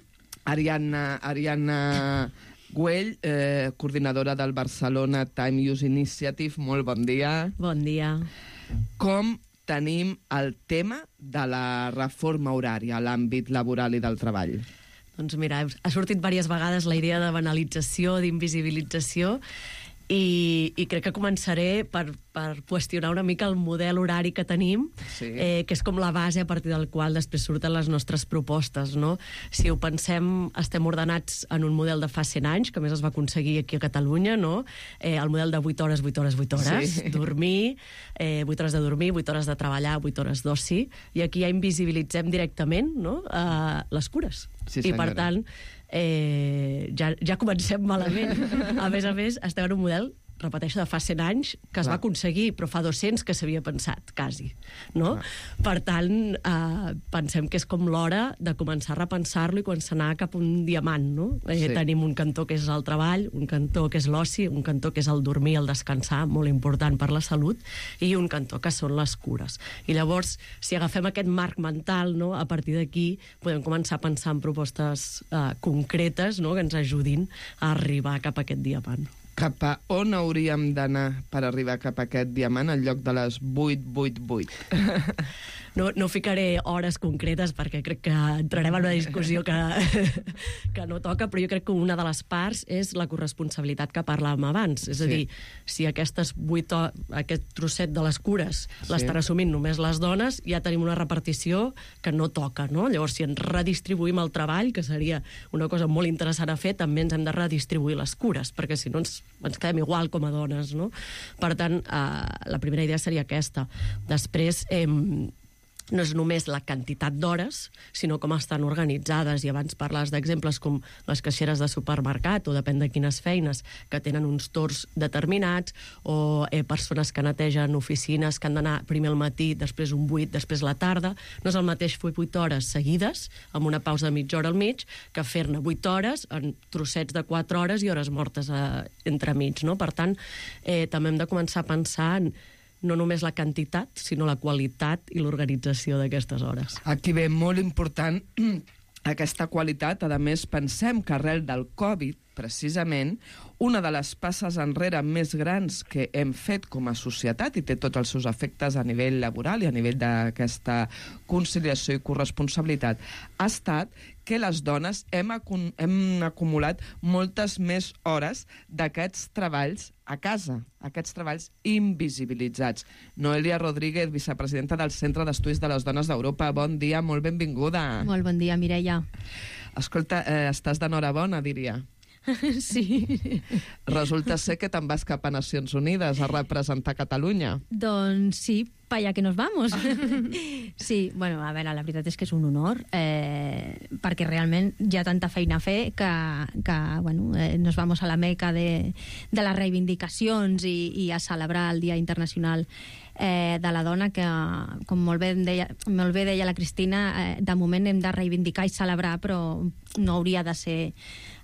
Ariadna... Ariadna Güell, eh, coordinadora del Barcelona Time Use Initiative, molt bon dia. Bon dia. Com tenim el tema de la reforma horària a l'àmbit laboral i del treball? Doncs mira, ha sortit diverses vegades la idea de banalització, d'invisibilització, i, i crec que començaré per, per qüestionar una mica el model horari que tenim, sí. eh, que és com la base a partir del qual després surten les nostres propostes, no? Si ho pensem, estem ordenats en un model de fa cent anys, que a més es va aconseguir aquí a Catalunya, no? Eh, el model de vuit hores, vuit hores, vuit hores, sí. dormir, eh, vuit hores de dormir, vuit hores de treballar, vuit hores d'oci, i aquí ja invisibilitzem directament, no? eh, les cures. Sí, I per tant, eh, ja, ja comencem malament. A més a més, estem en un model, repeteixo, de fa cent anys, que es Clar. va aconseguir, però fa dos-cents que s'havia pensat, quasi. No? Per tant, eh, pensem que és com l'hora de començar a repensar-lo i començar a anar cap a un diamant. No? Eh, sí. Tenim un cantó que és el treball, un cantó que és l'oci, un cantó que és el dormir, el descansar, molt important per la salut, i un cantó que són les cures. I llavors, si agafem aquest marc mental, no? A partir d'aquí podem començar a pensar en propostes eh, concretes, no? Que ens ajudin a arribar cap a aquest diamant. Cap a on hauríem d'anar per arribar cap a aquest diamant en lloc de les vuit vuit vuit? No, no ficaré hores concretes perquè crec que entrarem en una discussió que, que no toca, però jo crec que una de les parts és la corresponsabilitat que parlàvem abans. És a dir, sí. si aquestes vuit ho... aquest trosset de les cures sí. l'estan assumint només les dones, ja tenim una repartició que no toca, no? Llavors, si ens redistribuïm el treball, que seria una cosa molt interessant a fer, també ens hem de redistribuir les cures, perquè si no ens, ens quedem igual com a dones, no? Per tant, eh, la primera idea seria aquesta. Després, eh, no és només la quantitat d'hores, sinó com estan organitzades. I abans parles d'exemples com les caixeres de supermercat, o depèn de quines feines, que tenen uns torns determinats, o eh, persones que netegen oficines que han d'anar primer al matí, després un vuit, després la tarda. No és el mateix fer vuit hores seguides, amb una pausa de mitja hora al mig, que fer-ne vuit hores en trossets de quatre hores i hores mortes eh, entremig. No? Per tant, eh, també hem de començar a pensar en no només la quantitat, sinó la qualitat i l'organització d'aquestes hores. Aquí ve molt important aquesta qualitat. A més, pensem que arrel del Covid, precisament, una de les passes enrere més grans que hem fet com a societat, i té tots els seus efectes a nivell laboral i a nivell d'aquesta conciliació i corresponsabilitat, ha estat que les dones hem, acum hem acumulat moltes més hores d'aquests treballs a casa, aquests treballs invisibilitzats. Noelia Rodríguez, vicepresidenta del Centre d'Estudis de les Dones d'Europa. Bon dia, molt benvinguda. Molt bon dia, Mireia. Escolta, eh, estàs d'enhorabona, diria. Sí. Resulta ser que te'n vas cap a Nacions Unides a representar Catalunya. Doncs sí, pa allá que nos vamos. Sí, bueno, a veure, la veritat és que és un honor, eh, perquè realment hi ha tanta feina a fer que, que bueno, eh, nos vamos a la meca de, de les reivindicacions i, i a celebrar el Dia Internacional eh, de la Dona, que, com molt bé deia, molt bé deia la Cristina, eh, de moment hem de reivindicar i celebrar, però no hauria de ser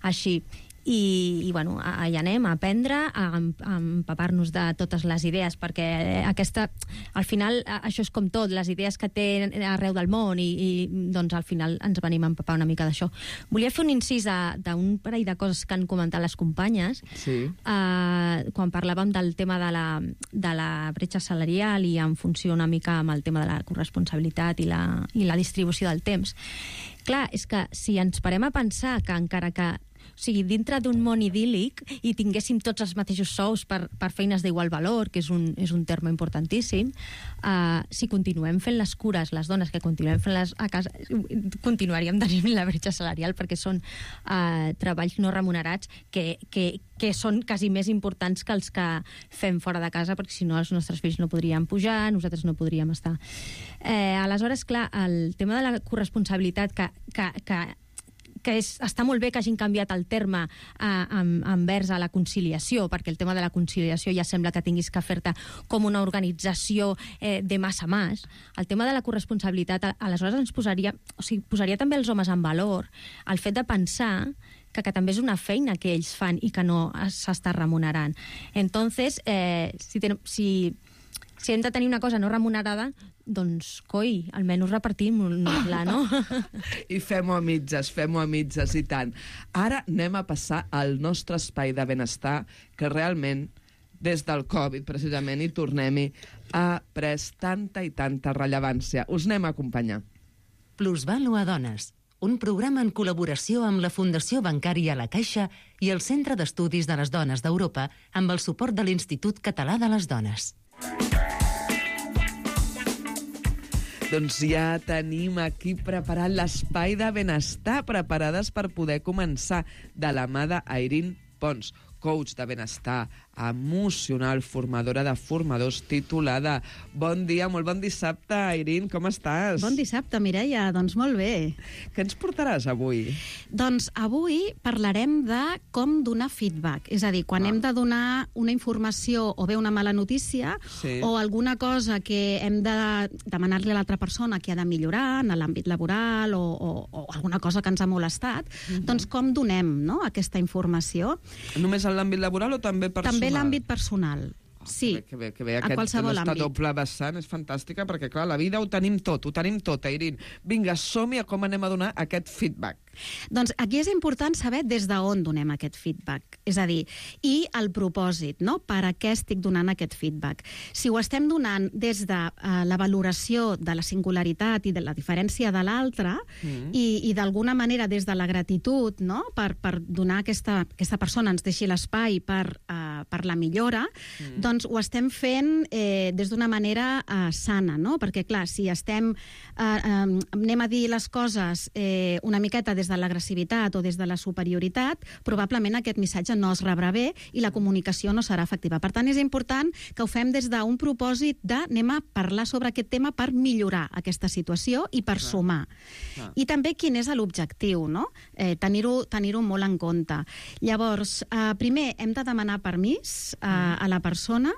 així. I, i bueno, allà anem a aprendre, a, a empapar-nos de totes les idees, perquè aquesta, al final, això és com tot, les idees que té arreu del món, i, i doncs al final ens venim a empapar una mica d'això. Volia fer un incís d'un parell de coses que han comentat les companyes, sí. eh, quan parlàvem del tema de la, de la bretxa salarial i en funció una mica amb el tema de la corresponsabilitat i la, i la distribució del temps. Clar, és que si ens parem a pensar que encara que o sigui, dintre d'un món idíl·lic i tinguéssim tots els mateixos sous per, per feines d'igual valor, que és un, és un terme importantíssim, uh, si continuem fent les cures, les dones que continuem fent les a casa, continuaríem tenint la bretxa salarial, perquè són uh, treballs no remunerats que, que, que són quasi més importants que els que fem fora de casa, perquè si no els nostres fills no podrien pujar, nosaltres no podríem estar. Eh, aleshores, clar, el tema de la corresponsabilitat que, que, que que és, està molt bé que hagin canviat el terme eh, envers a la conciliació, perquè el tema de la conciliació ja sembla que tinguis que fer-te com una organització eh, de mas a mas. El tema de la corresponsabilitat, aleshores ens posaria, o sigui, posaria també els homes en valor el fet de pensar que, que també és una feina que ells fan i que no s'està remunerant. Entonces, eh, si, ten, si, si hem de tenir una cosa no remunerada, doncs, coi, almenys repartim-la, no? I fem-ho a mitges, fem-ho a mitges, i tant. Ara anem a passar al nostre espai de benestar, que realment, des del Covid, precisament, i tornem-hi, ha pres tanta i tanta rellevància. Us anem a acompanyar. Plusvàlua Dones, un programa en col·laboració amb la Fundació Bancària La Caixa i el Centre d'Estudis de les Dones d'Europa amb el suport de l'Institut Català de les Dones. Doncs ja tenim aquí preparat l'espai de benestar, preparades per poder començar, de la mà d'Airín Pons, coach de benestar emocional, formadora de formadors, titulada. Bon dia, molt bon dissabte, Airín, com estàs? Bon dissabte, Mireia, doncs molt bé. Què ens portaràs avui? Doncs avui parlarem de com donar feedback, és a dir, quan ah. hem de donar una informació o bé una mala notícia sí. o alguna cosa que hem de demanar-li a l'altra persona que ha de millorar en l'àmbit laboral o, o, o alguna cosa que ens ha molestat, uh-huh. doncs com donem, no?, aquesta informació. Només en l'àmbit laboral o també personal? També l'àmbit personal. Oh, sí, que bé, que bé. a qualsevol Aquesta àmbit. doble vessant és fantàstica perquè, clar, la vida ho tenim tot, ho tenim tot, Airín. Vinga, som-hi a com anem a donar aquest feedback. Doncs aquí és important saber des d'on donem aquest feedback, és a dir, i el propòsit, no? Per a què estic donant aquest feedback. Si ho estem donant des de uh, la valoració de la singularitat i de la diferència de l'altre mm. i, i d'alguna manera des de la gratitud, no?, per, per donar aquesta, aquesta persona ens deixi l'espai per, uh, per la millora, mm. doncs ho estem fent eh, des d'una manera uh, sana, no? Perquè, clar, si estem, uh, um, anem a dir les coses eh, una miqueta des de l'agressivitat o des de la superioritat, probablement aquest missatge no es rebrà bé i la comunicació no serà efectiva. Per tant, és important que ho fem des d'un propòsit de anem a parlar sobre aquest tema per millorar aquesta situació i per Clar. sumar. Clar. I també quin és l'objectiu, no? Eh, tenir-ho tenir-ho molt en compte. Llavors, eh, primer hem de demanar permís eh, a la persona.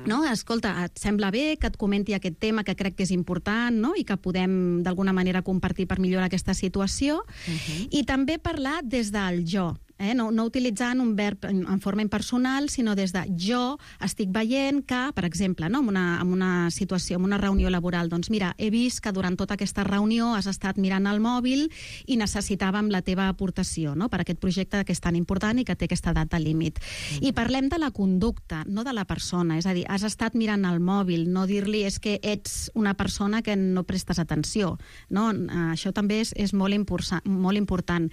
No? Escolta, et sembla bé que et comenti aquest tema que crec que és important, no?, i que podem d'alguna manera compartir per millorar aquesta situació, uh-huh. i també parlar des del jo. eh? no, no utilitzant un verb en, en forma impersonal, sinó des de jo estic veient que, per exemple, no? en, una, en una situació, en una reunió laboral, doncs mira, he vist que durant tota aquesta reunió has estat mirant el mòbil i necessitàvem la teva aportació, no? per aquest projecte que és tan important i que té aquesta data límit. Mm-hmm. I parlem de la conducta, no de la persona, és a dir, has estat mirant el mòbil, no dir-li és que ets una persona que no prestes atenció, no? Això també és, és molt, impulsa, molt important.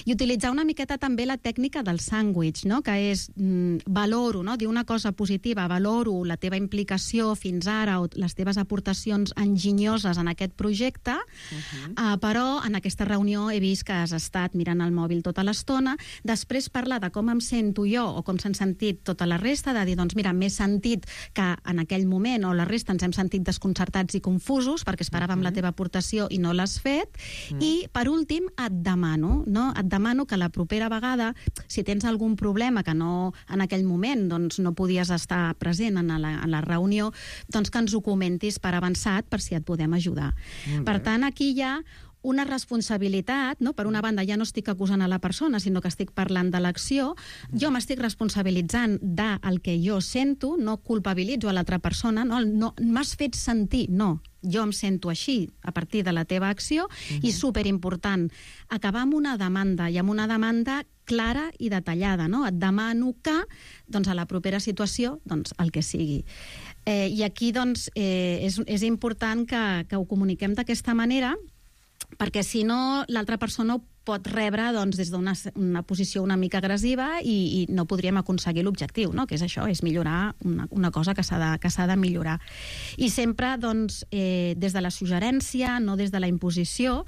I utilitzar una miqueta també la tècnica del sàndwich, no? que és mm, valoro, no? dir una cosa positiva, valoro la teva implicació fins ara o les teves aportacions enginyoses en aquest projecte, uh-huh. uh, però en aquesta reunió he vist que has estat mirant el mòbil tota l'estona, després parlar de com em sento jo o com s'han sentit tota la resta, de dir, doncs mira, m'he sentit que en aquell moment o la resta ens hem sentit desconcertats i confusos perquè esperàvem uh-huh. la teva aportació i no l'has fet, uh-huh. i per últim et demano, no? et demano que la propera vegada, si tens algun problema que no, en aquell moment doncs, no podies estar present en la, en la reunió, doncs que ens ho comentis per avançat per si et podem ajudar. Per tant, aquí hi ha una responsabilitat, no? Per una banda ja no estic acusant a la persona, sinó que estic parlant de l'acció, jo m'estic responsabilitzant del que jo sento, no culpabilitzo a l'altra persona, no, no m'has fet sentir, no, jo em sento així a partir de la teva acció, uh-huh. i superimportant, acabar amb una demanda, i amb una demanda clara i detallada, no? Et demano que, doncs, a la propera situació, doncs, el que sigui. Eh, I aquí, doncs, eh, és, és important que, que ho comuniquem d'aquesta manera, perquè si no l'altra persona ho pot rebre doncs, des d'una una posició una mica agressiva i, i no podríem aconseguir l'objectiu, no? que és això, és millorar una, una cosa que s'ha de, que s'ha de millorar. I sempre doncs, eh, des de la suggerència, no des de la imposició,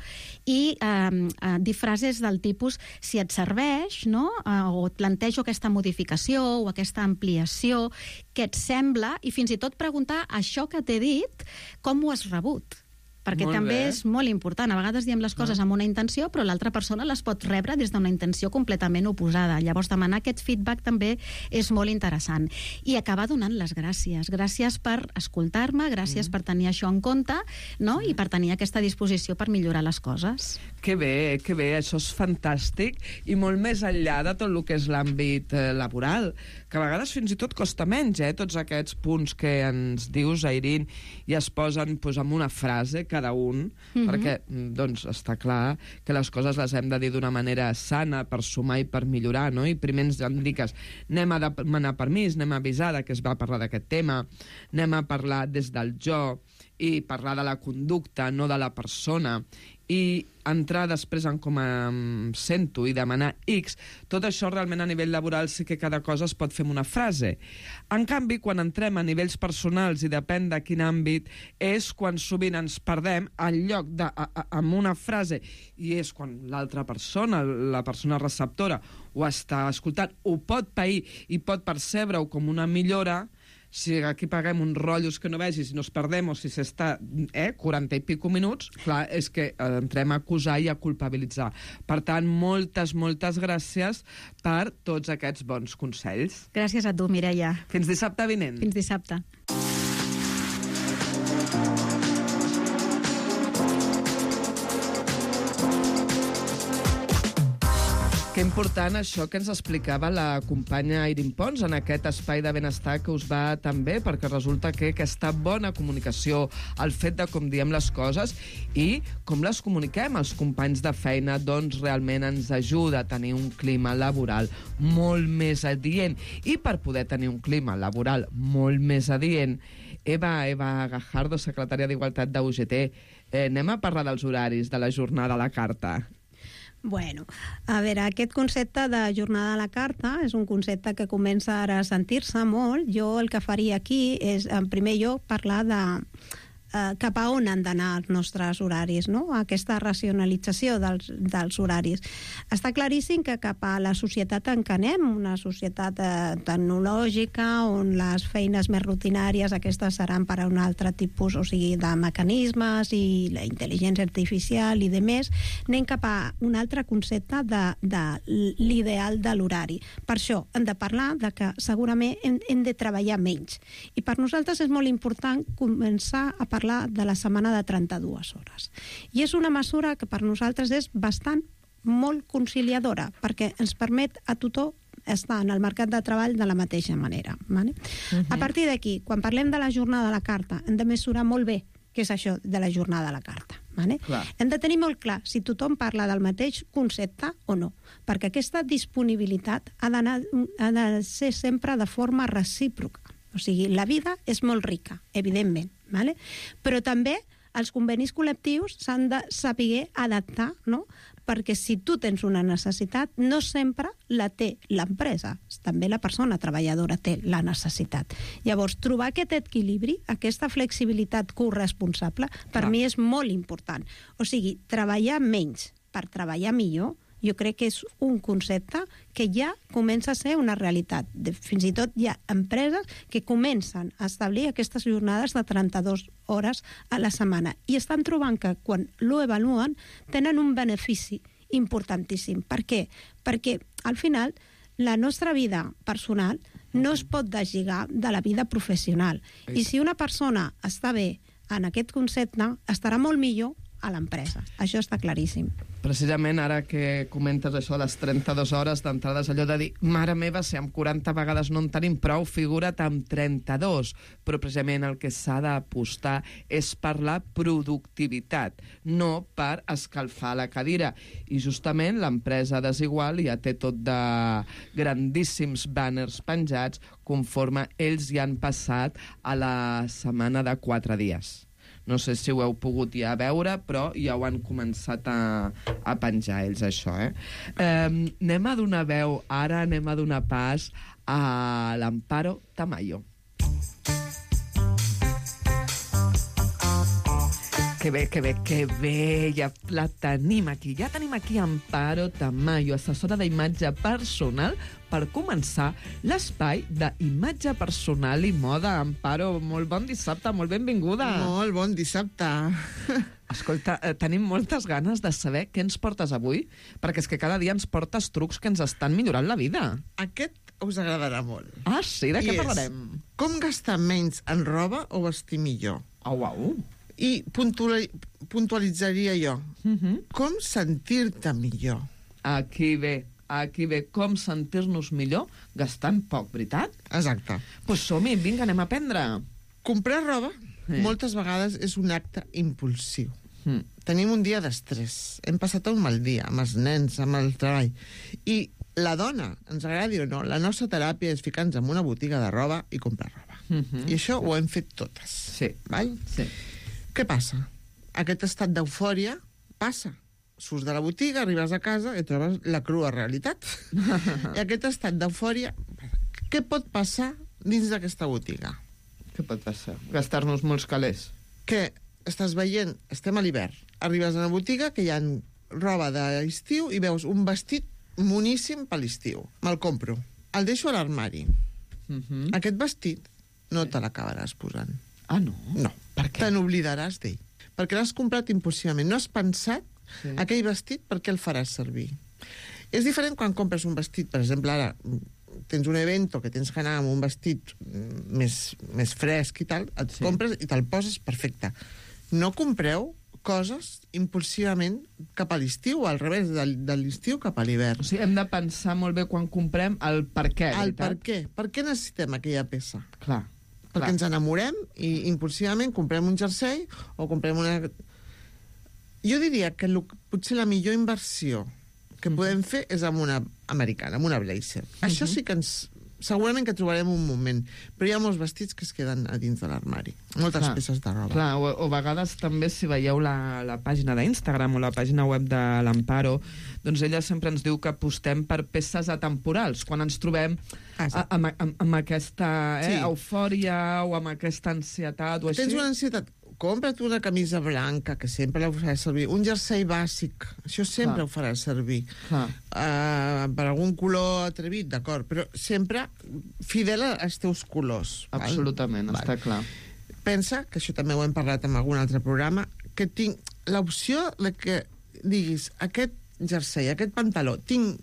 i eh, eh, dir frases del tipus si et serveix, no? eh, o et plantejo aquesta modificació o aquesta ampliació, què et sembla, i fins i tot preguntar això que t'he dit, com ho has rebut? Perquè molt també bé. És molt important. A vegades diem les coses amb una intenció, però l'altra persona les pot rebre des d'una intenció completament oposada. Llavors, demanar aquest feedback també és molt interessant. I acabar donant les gràcies. Gràcies per escoltar-me, gràcies mm. per tenir això en compte, no? I per tenir aquesta disposició per millorar les coses. Que bé, que bé, això és fantàstic. I molt més enllà de tot el que és l'àmbit eh, laboral, que a vegades fins i tot costa menys, eh? Tots aquests punts que ens dius, Airín, i es posen pues, amb una frase que cada un, mm-hmm. perquè doncs, està clar que les coses les hem de dir d'una manera sana per sumar i per millorar, no? I primer ens indiques, anem a demanar permís, anem a avisar que es va parlar d'aquest tema, anem a parlar des del jo i parlar de la conducta, no de la persona, i entrar després en com em sento i demanar X, tot això realment a nivell laboral sí que cada cosa es pot fer amb una frase. En canvi, quan entrem a nivells personals i depèn de quin àmbit, és quan sovint ens perdem en lloc de, a, a, amb una frase, i és quan l'altra persona, la persona receptora, ho està escoltant, ho pot pair i pot percebre-ho com una millora. Si aquí paguem uns rotllos que no vegis i nos perdem o si s'està eh, quaranta i pico minuts, clar, és que eh, entrem a acusar i a culpabilitzar. Per tant, moltes, moltes gràcies per tots aquests bons consells. Gràcies a tu, Mireia. Fins dissabte vinent. Fins dissabte. Que important això que ens explicava la companya Airín Pons en aquest espai de benestar que us va tan bé, perquè resulta que aquesta bona comunicació, el fet de com diem les coses i com les comuniquem als companys de feina, doncs realment ens ajuda a tenir un clima laboral molt més adient. I per poder tenir un clima laboral molt més adient, Eva, Eva Gajardo, secretària d'Igualtat de U G T, eh, anem a parlar dels horaris de la jornada a la carta. Bueno, a veure, aquest concepte de jornada a la carta és un concepte que comença ara a sentir-se molt. Jo el que faria aquí és, en primer lloc, parlar de eh, cap a on han d'anar els nostres horaris, no? Aquesta racionalització dels, dels horaris. Està claríssim que cap a la societat en què anem, una societat eh, tecnològica, on les feines més rutinàries aquestes seran per a un altre tipus, o sigui, de mecanismes i la intel·ligència artificial i de més, anem cap a un altre concepte de, de l'ideal de l'horari. Per això hem de parlar de que segurament hem, hem de treballar menys. I per nosaltres és molt important començar a parlar de la setmana de trenta-dues hores. I és una mesura que per nosaltres és bastant molt conciliadora, perquè ens permet a tothom estar en el mercat de treball de la mateixa manera. Vale? Uh-huh. A partir d'aquí, quan parlem de la jornada a la carta, hem de mesurar molt bé què és això de la jornada a la carta. Vale? Hem de tenir molt clar si tothom parla del mateix concepte o no, perquè aquesta disponibilitat ha, ha de ser sempre de forma recíproca. O sigui, la vida és molt rica, evidentment, vale? Però també els convenis col·lectius s'han de saber adaptar, no? Perquè si tu tens una necessitat, no sempre la té l'empresa, també la persona treballadora té la necessitat. Llavors, trobar aquest equilibri, aquesta flexibilitat corresponsable, per Clar. mi és molt important. O sigui, treballar menys per treballar millor, jo crec que és un concepte que ja comença a ser una realitat. Fins i tot hi ha empreses que comencen a establir aquestes jornades de trenta-dues hores a la setmana i estan trobant que quan lo evaluen tenen un benefici importantíssim. Per què? Perquè al final la nostra vida personal no es pot deslligar de la vida professional. I si una persona està bé en aquest concepte, estarà molt millor a l'empresa. Això està claríssim. Precisament ara que comentes això de les trenta-dues hores d'entrada, és allò de dir, mare meva, si amb quaranta vegades no en tenim prou, figura't amb trenta-dos. Però precisament el que s'ha d'apostar és per la productivitat, no per escalfar la cadira. I justament l'empresa Desigual ja té tot de grandíssims banners penjats conforme ells ja han passat a la setmana de quatre dies. No sé si ho heu pogut ja veure, però ja ho han començat a, a penjar ells, això, eh? eh? Anem a donar veu, ara anem a donar pas a l'Amparo Tamayo. Que bé, que bé, que bé, ja la tenim aquí. Ja tenim aquí Amparo Tamayo, assessora d'imatge personal, per començar l'espai d'imatge personal i moda. Amparo, molt bon dissabte, molt benvinguda. Molt bon dissabte. Escolta, eh, tenim moltes ganes de saber què ens portes avui, perquè és que cada dia ens portes trucs que ens estan millorant la vida. Aquest us agradarà molt. Ah, sí? De I què és, parlarem? Com gastar menys en roba o vestir millor. Oh, uau. I puntuali puntualitzaria jo. Uh -huh. Com sentir-te millor. Aquí ve, aquí ve com sentir-nos millor gastant poc, veritat? Exacte. Doncs pues som-hi, vinga, anem a aprendre. Comprar roba Sí. moltes vegades és un acte impulsiu. Mm. Tenim un dia d'estrès, hem passat un mal dia amb els nens, amb el treball, i la dona, ens agradi o no, la nostra teràpia és ficar-nos en una botiga de roba i comprar roba. Mm -hmm. I això ho hem fet totes. Sí. Val? Sí. Què passa? Aquest estat d'eufòria passa. Surts de la botiga, arribes a casa i trobes la crua realitat. I aquest estat d'eufòria, què pot passar dins d'aquesta botiga? Què pot passar? Gastar-nos molts calés. Que estàs veient, estem a l'hivern, arribes a una botiga que hi ha roba d'estiu i veus un vestit moníssim per l'estiu. Me'l compro. El deixo a l'armari. Uh -huh. Aquest vestit no te l'acabaràs posant. Ah, no? No. Per què? Te n'oblidaràs d'ell. Perquè l'has comprat impulsivament. No has pensat sí. aquell vestit per què el faràs servir. És diferent quan compres un vestit, per exemple, ara tens un evento que tens que anar amb un vestit més, més fresc i tal, et sí. compres i te'l poses perfecte. No compreu coses impulsivament cap a l'estiu, o al revés, de, de l'estiu cap a l'hivern. O sigui, hem de pensar molt bé quan comprem el per què, el veritat? per què. Per què necessitem aquella peça? Clar. Perquè clar. ens enamorem i impulsivament comprem un jersei o comprem una... Jo diria que lo, potser la millor inversió que podem fer és amb una americana, amb una blazer. Uh -huh. Això sí que ens... Segurament que trobarem un moment, però hi ha molts vestits que es queden a dins de l'armari. Moltes clar, peces de roba. Clar, o, o a vegades també si veieu la, la pàgina d'Instagram o la pàgina web de l'Amparo, doncs ella sempre ens diu que apostem per peces atemporals, quan ens trobem a, amb, amb, amb aquesta eh, sí. eufòria o amb aquesta ansietat o així. Tens una ansietat... Compra't una camisa blanca, que sempre la faràs servir, un jersei bàsic, això sempre ho faràs servir. Uh, per algun color atrevit, d'acord, però sempre fidel als teus colors. Absolutament, val? Està clar. Pensa, que això també ho hem parlat en algun altre programa, que tinc l'opció de que diguis, aquest jersei, aquest pantaló, tinc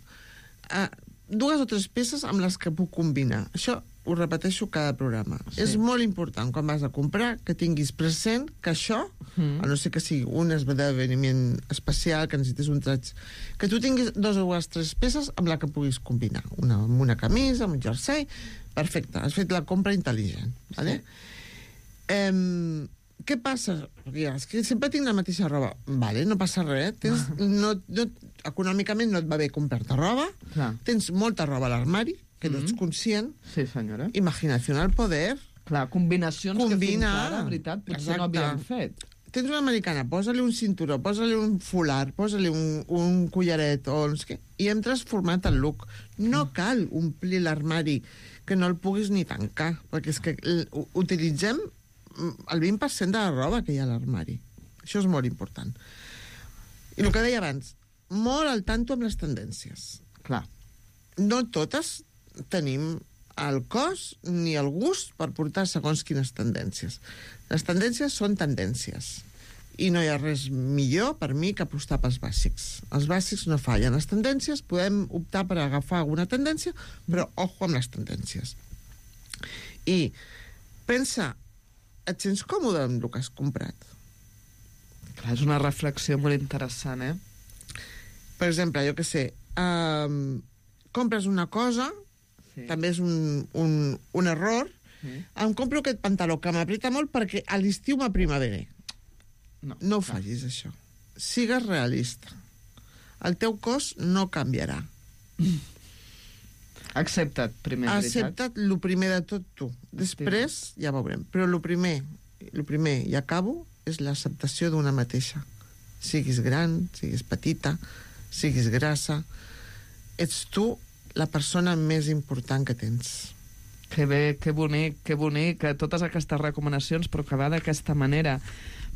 uh, dues o tres peces amb les que puc combinar. Això ho repeteixo cada programa. Sí. És molt important, quan vas a comprar, que tinguis present que això, mm. a no ser que sigui un esdeveniment especial, que necessites un traig, que tu tinguis dos o tres peces amb la que puguis combinar. Una amb una camisa, amb un jersei, perfecte, has fet la compra intel·ligent. Vale? Sí. Eh, què passa? Perquè és que sempre tinc la mateixa roba. Vale, no passa res. Tens, no, no, econòmicament no et va bé comprar-te roba. Clar. Tens molta roba a l'armari, que no ets conscient. Sí, senyora. Imaginació al poder. Clar, combinacions Combina. que fins ara, de veritat, potser Exacte. no havíem fet. Tens una americana, posa-li un cinturó, posa-li un folar, posa-li un, un collaret, o no sé què, i hem transformat el look. No cal omplir l'armari que no el puguis ni tancar, perquè és que utilitzem el vint per cent de la roba que hi ha a l'armari. Això és molt important. I el que deia abans, molt al tanto amb les tendències. Clar, no totes tenim el cos ni el gust per portar segons quines tendències. Les tendències són tendències. I no hi ha res millor per mi que apostar pels bàsics. Els bàsics no fallen. Les tendències, podem optar per agafar alguna tendència, però ojo amb les tendències. I pensa, et sents còmode amb el que has comprat? Clar, és una reflexió molt interessant, eh? Per exemple, jo què sé, um, compres una cosa, sí. també és un, un, un error, sí. em compro aquest pantaló que m'apreta molt perquè a l'estiu m'aprima bé. No, no ho facis, això. Sigues realista. El teu cos no canviarà. Accepta't, primer, Accepta't el primer de tot tu. Després sí. ja veurem. Però el primer, el primer, i acabo, és l'acceptació d'una mateixa. Siguis gran, siguis petita, siguis grassa, ets tu la persona més important que tens. Que bé, que bonic, que bonic, totes aquestes recomanacions, però que va d'aquesta manera,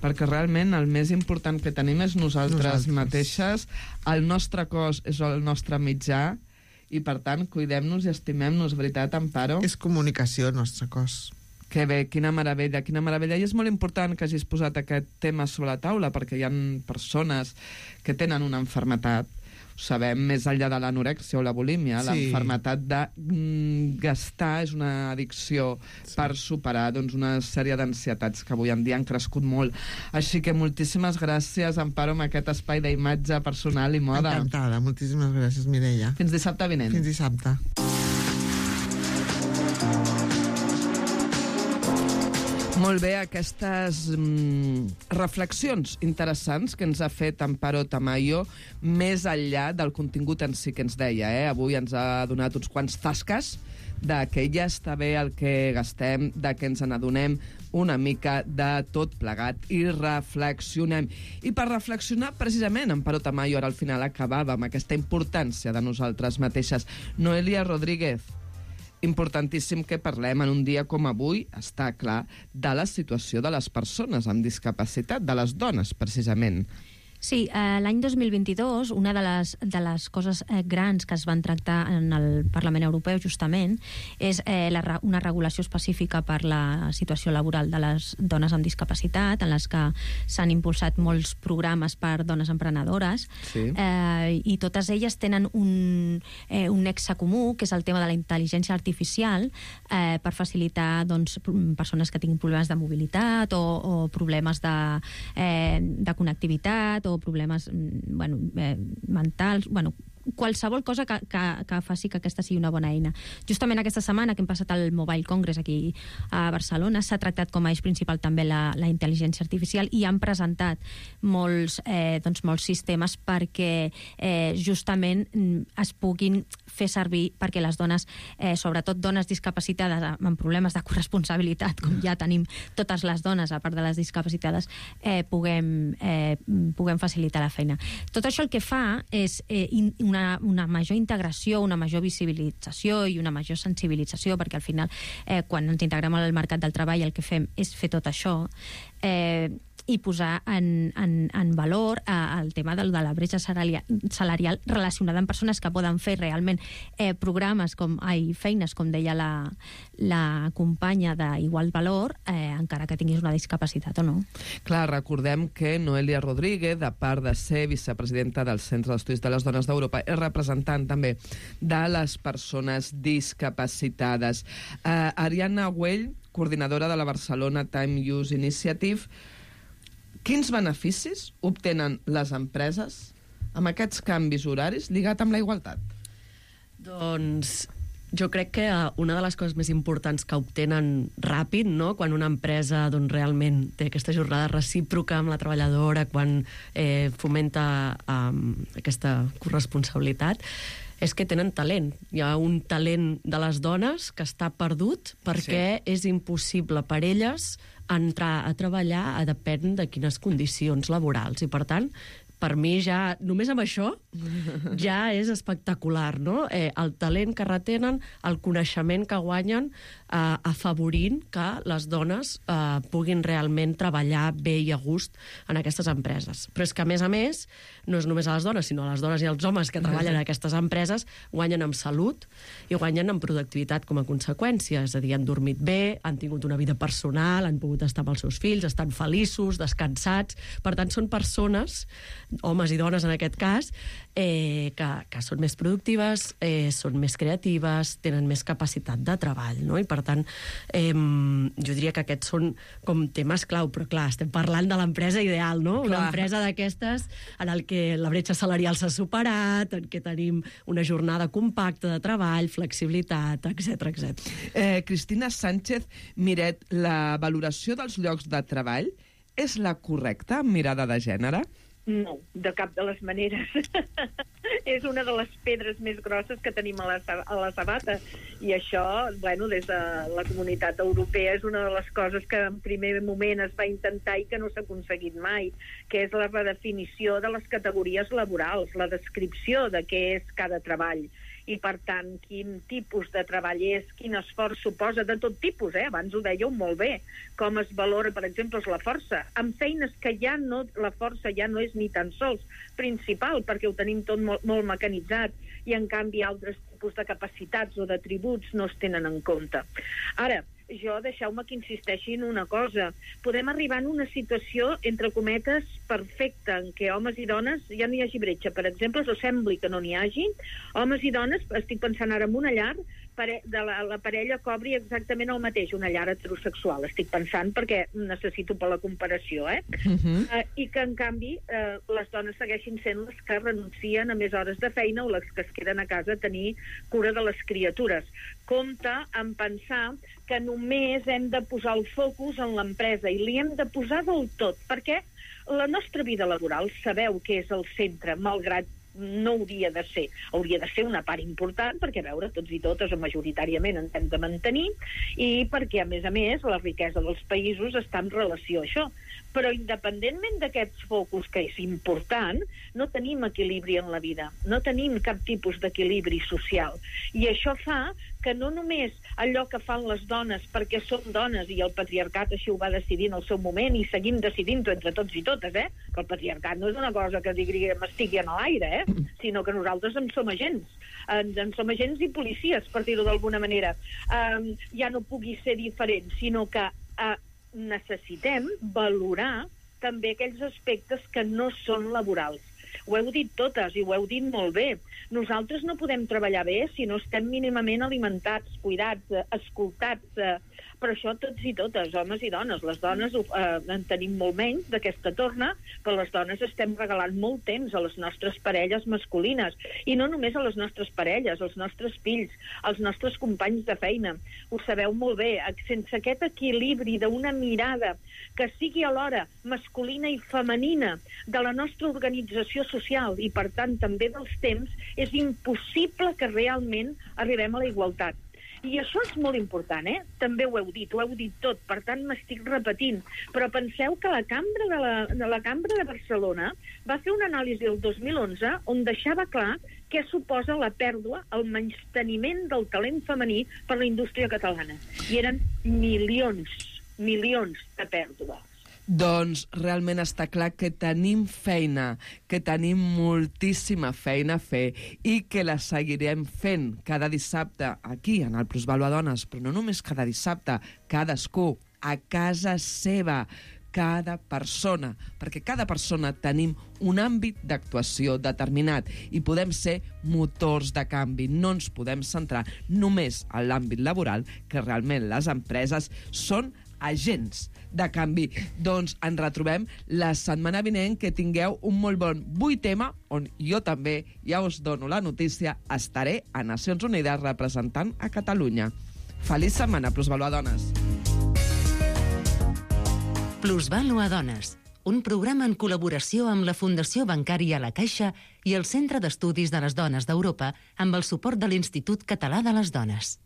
perquè realment el més important que tenim és nosaltres, nosaltres. mateixes, el nostre cos és el nostre mitjà, i, per tant, cuidem-nos i estimem-nos, veritat, Amparo? És comunicació, el nostre cos. Que bé, quina meravella, quina meravella. I és molt important que hagis posat aquest tema sobre la taula, perquè hi ha persones que tenen una malaltia, ho sabem, més enllà de l'anorèxia o la bulímia, sí. la malaltia de mm, gastar és una addicció sí. per superar doncs, una sèrie d'ansietats que avui en dia han crescut molt. Així que moltíssimes gràcies, Amparo, amb aquest espai d'imatge personal i moda. Encantada, moltíssimes gràcies, Mireia. Fins dissabte vinent. Fins dissabte. Molt bé, aquestes mm, reflexions interessants que ens ha fet Amparo Tamayo, més enllà del contingut en si que ens deia. Eh? Avui ens ha donat uns quants tasques de que ja està bé el que gastem, de que ens n'adonem una mica de tot plegat i reflexionem. I per reflexionar, precisament, Amparo Tamayo ara al final acabava amb aquesta importància de nosaltres mateixes. Noelia Rodríguez, importantíssim que parlem en un dia com avui, està clar, de la situació de les persones amb discapacitat, de les dones, precisament. Sí, eh, l'any dos mil vint-i-dos, una de les, de les coses eh, grans que es van tractar en el Parlament Europeu, justament, és eh, la, una regulació específica per la situació laboral de les dones amb discapacitat, en les que s'han impulsat molts programes per dones emprenedores, sí. eh, i totes elles tenen un, eh, un nexe comú, que és el tema de la intel·ligència artificial, eh, per facilitar doncs, persones que tinguin problemes de mobilitat o, o problemes de, eh, de connectivitat, o problemes bueno, eh, mentals, bueno, qualsevol cosa que, que, que faci que aquesta sigui una bona eina. Justament aquesta setmana que hem passat al Mobile Congress aquí a Barcelona s'ha tractat com a eix principal també la, la intel·ligència artificial i han presentat molts, eh, doncs molts sistemes perquè eh, justament es puguin fer servir perquè les dones, eh, sobretot dones discapacitades amb problemes de corresponsabilitat, com ja tenim totes les dones, a part de les discapacitades, eh, puguem, eh, puguem facilitar la feina. Tot això el que fa és eh, una, una major integració, una major visibilització i una major sensibilització, perquè al final, eh, quan ens integrem al mercat del treball, el que fem és fer tot això. Eh, i posar en, en, en valor eh, el tema de, de la bretxa salarial, salarial relacionada amb persones que poden fer realment eh, programes com, ai, feines, com deia la, la companya d'Igual Valor, eh, encara que tinguis una discapacitat o no. Clar, recordem que Noelia Rodríguez, a part de ser vicepresidenta del Centre d'Estudis de les Dones d'Europa, és representant també de les persones discapacitades. Uh, Ariadna Güell, coordinadora de la Barcelona Time Use Initiative, quins beneficis obtenen les empreses amb aquests canvis horaris lligat amb la igualtat? Doncs jo crec que una de les coses més importants que obtenen ràpid, no?, quan una empresa doncs, realment té aquesta jornada recíproca amb la treballadora, quan eh, fomenta um, aquesta corresponsabilitat, és que tenen talent. Hi ha un talent de les dones que està perdut perquè sí. és impossible per elles entrar a treballar a depèn de quines condicions laborals. I, per tant, per mi ja, només amb això, ja és espectacular, no? Eh, el talent que retenen, el coneixement que guanyen, eh, afavorint que les dones eh, puguin realment treballar bé i a gust en aquestes empreses. Però és que, a més a més, no és només a les dones, sinó a les dones i als homes que treballen en aquestes empreses, guanyen en salut i guanyen en productivitat com a conseqüència. És a dir, han dormit bé, han tingut una vida personal, han pogut estar amb els seus fills, estan feliços, descansats. Per tant, són persones, homes i dones en aquest cas, eh, que, que són més productives, eh, són més creatives, tenen més capacitat de treball, no? I per tant, eh, jo diria que aquests són com temes clau, però clar, estem parlant de l'empresa ideal, no? Clar. Una empresa d'aquestes en el que la bretxa salarial s'ha superat, en què tenim una jornada compacta de treball, flexibilitat, etcètera, etcètera. Eh, Cristina Sánchez Miret, la valoració dels llocs de treball és la correcta amb mirada de gènere? No, de cap de les maneres. És una de les pedres més grosses que tenim a la, a la sabata. I això, bueno, des de la Comunitat Europea és una de les coses que en primer moment es va intentar i que no s'ha aconseguit mai, que és la redefinició de les categories laborals, la descripció de què és cada treball. I, per tant, quin tipus de treball és, quin esforç suposa, de tot tipus, eh? Abans ho dèieu molt bé, com es valora, per exemple, la força. Amb feines que ja no, la força ja no és ni tan sols principal, perquè ho tenim tot molt, molt mecanitzat, i en canvi altres tipus de capacitats o d'atributs no es tenen en compte. Ara, jo, deixeu-me que insisteixi en una cosa. Podem arribar en una situació, entre cometes, perfecta, en què homes i dones ja no hi hagi bretxa. Per exemple, o sembli que no n'hi hagi, homes i dones, estic pensant ara en una llar, de la, la parella cobri exactament el mateix, una llar heterosexual, estic pensant, perquè necessito per la comparació, eh? Uh-huh. Uh, I que, en canvi, uh, les dones segueixin sent les que renuncien a més hores de feina o les que es queden a casa a tenir cura de les criatures. Compte en pensar que només hem de posar el focus en l'empresa i li hem de posar del tot, perquè la nostra vida laboral, sabeu que és el centre, malgrat no hauria de ser. Hauria de ser una part important perquè, a veure, tots i totes o majoritàriament ens hem de mantenir i perquè, a més a més, la riquesa dels països està en relació a això. Però independentment d'aquests focus, que és important, no tenim equilibri en la vida, no tenim cap tipus d'equilibri social. I això fa que no només allò que fan les dones perquè som dones i el patriarcat així ho va decidir en el seu moment i seguim decidint-ho entre tots i totes, eh? Que el patriarcat no és una cosa que diguem estigui en l'aire, eh? Sinó que nosaltres en som agents. En, en som agents i policies, per dir-ho d'alguna manera. Um, ja no pugui ser diferent, sinó que uh, necessitem valorar també aquells aspectes que no són laborals. Ho heu dit totes i ho heu dit molt bé. Nosaltres no podem treballar bé si no estem mínimament alimentats, cuidats, escoltats, eh, però això tots i totes, homes i dones. Les dones eh, en tenim molt menys d'aquesta torna, però les dones estem regalant molt temps a les nostres parelles masculines, i no només a les nostres parelles, als nostres fills, als nostres companys de feina. Ho sabeu molt bé, sense aquest equilibri d'una mirada que sigui alhora masculina i femenina de la nostra organització social i, per tant, també dels temps, és impossible que realment arribem a la igualtat. I això és molt important, eh? També ho heu dit, ho heu dit tot, per tant m'estic repetint. Però penseu que la Cambra de, la, de la Cambra de Barcelona va fer una anàlisi el dos mil onze on deixava clar què suposa la pèrdua, el menysteniment del talent femení per la indústria catalana. I eren milions, milions de pèrdues. Doncs realment està clar que tenim feina, que tenim moltíssima feina a fer i que la seguirem fent cada dissabte aquí, en el Plusvàlua Dones, però no només cada dissabte, cadascú a casa seva, cada persona, perquè cada persona tenim un àmbit d'actuació determinat i podem ser motors de canvi. No ens podem centrar només en l'àmbit laboral, que realment les empreses són agents de canvi. Doncs ens retrobem la setmana vinent, que tingueu un molt bon vuitema, on jo també, ja us dono la notícia, estaré a Nacions Unides representant a Catalunya. Feliç setmana, Plusvàlua Dones. Plusvàlua Dones, un programa en col·laboració amb la Fundació Bancària La Caixa i el Centre d'Estudis de les Dones d'Europa amb el suport de l'Institut Català de les Dones.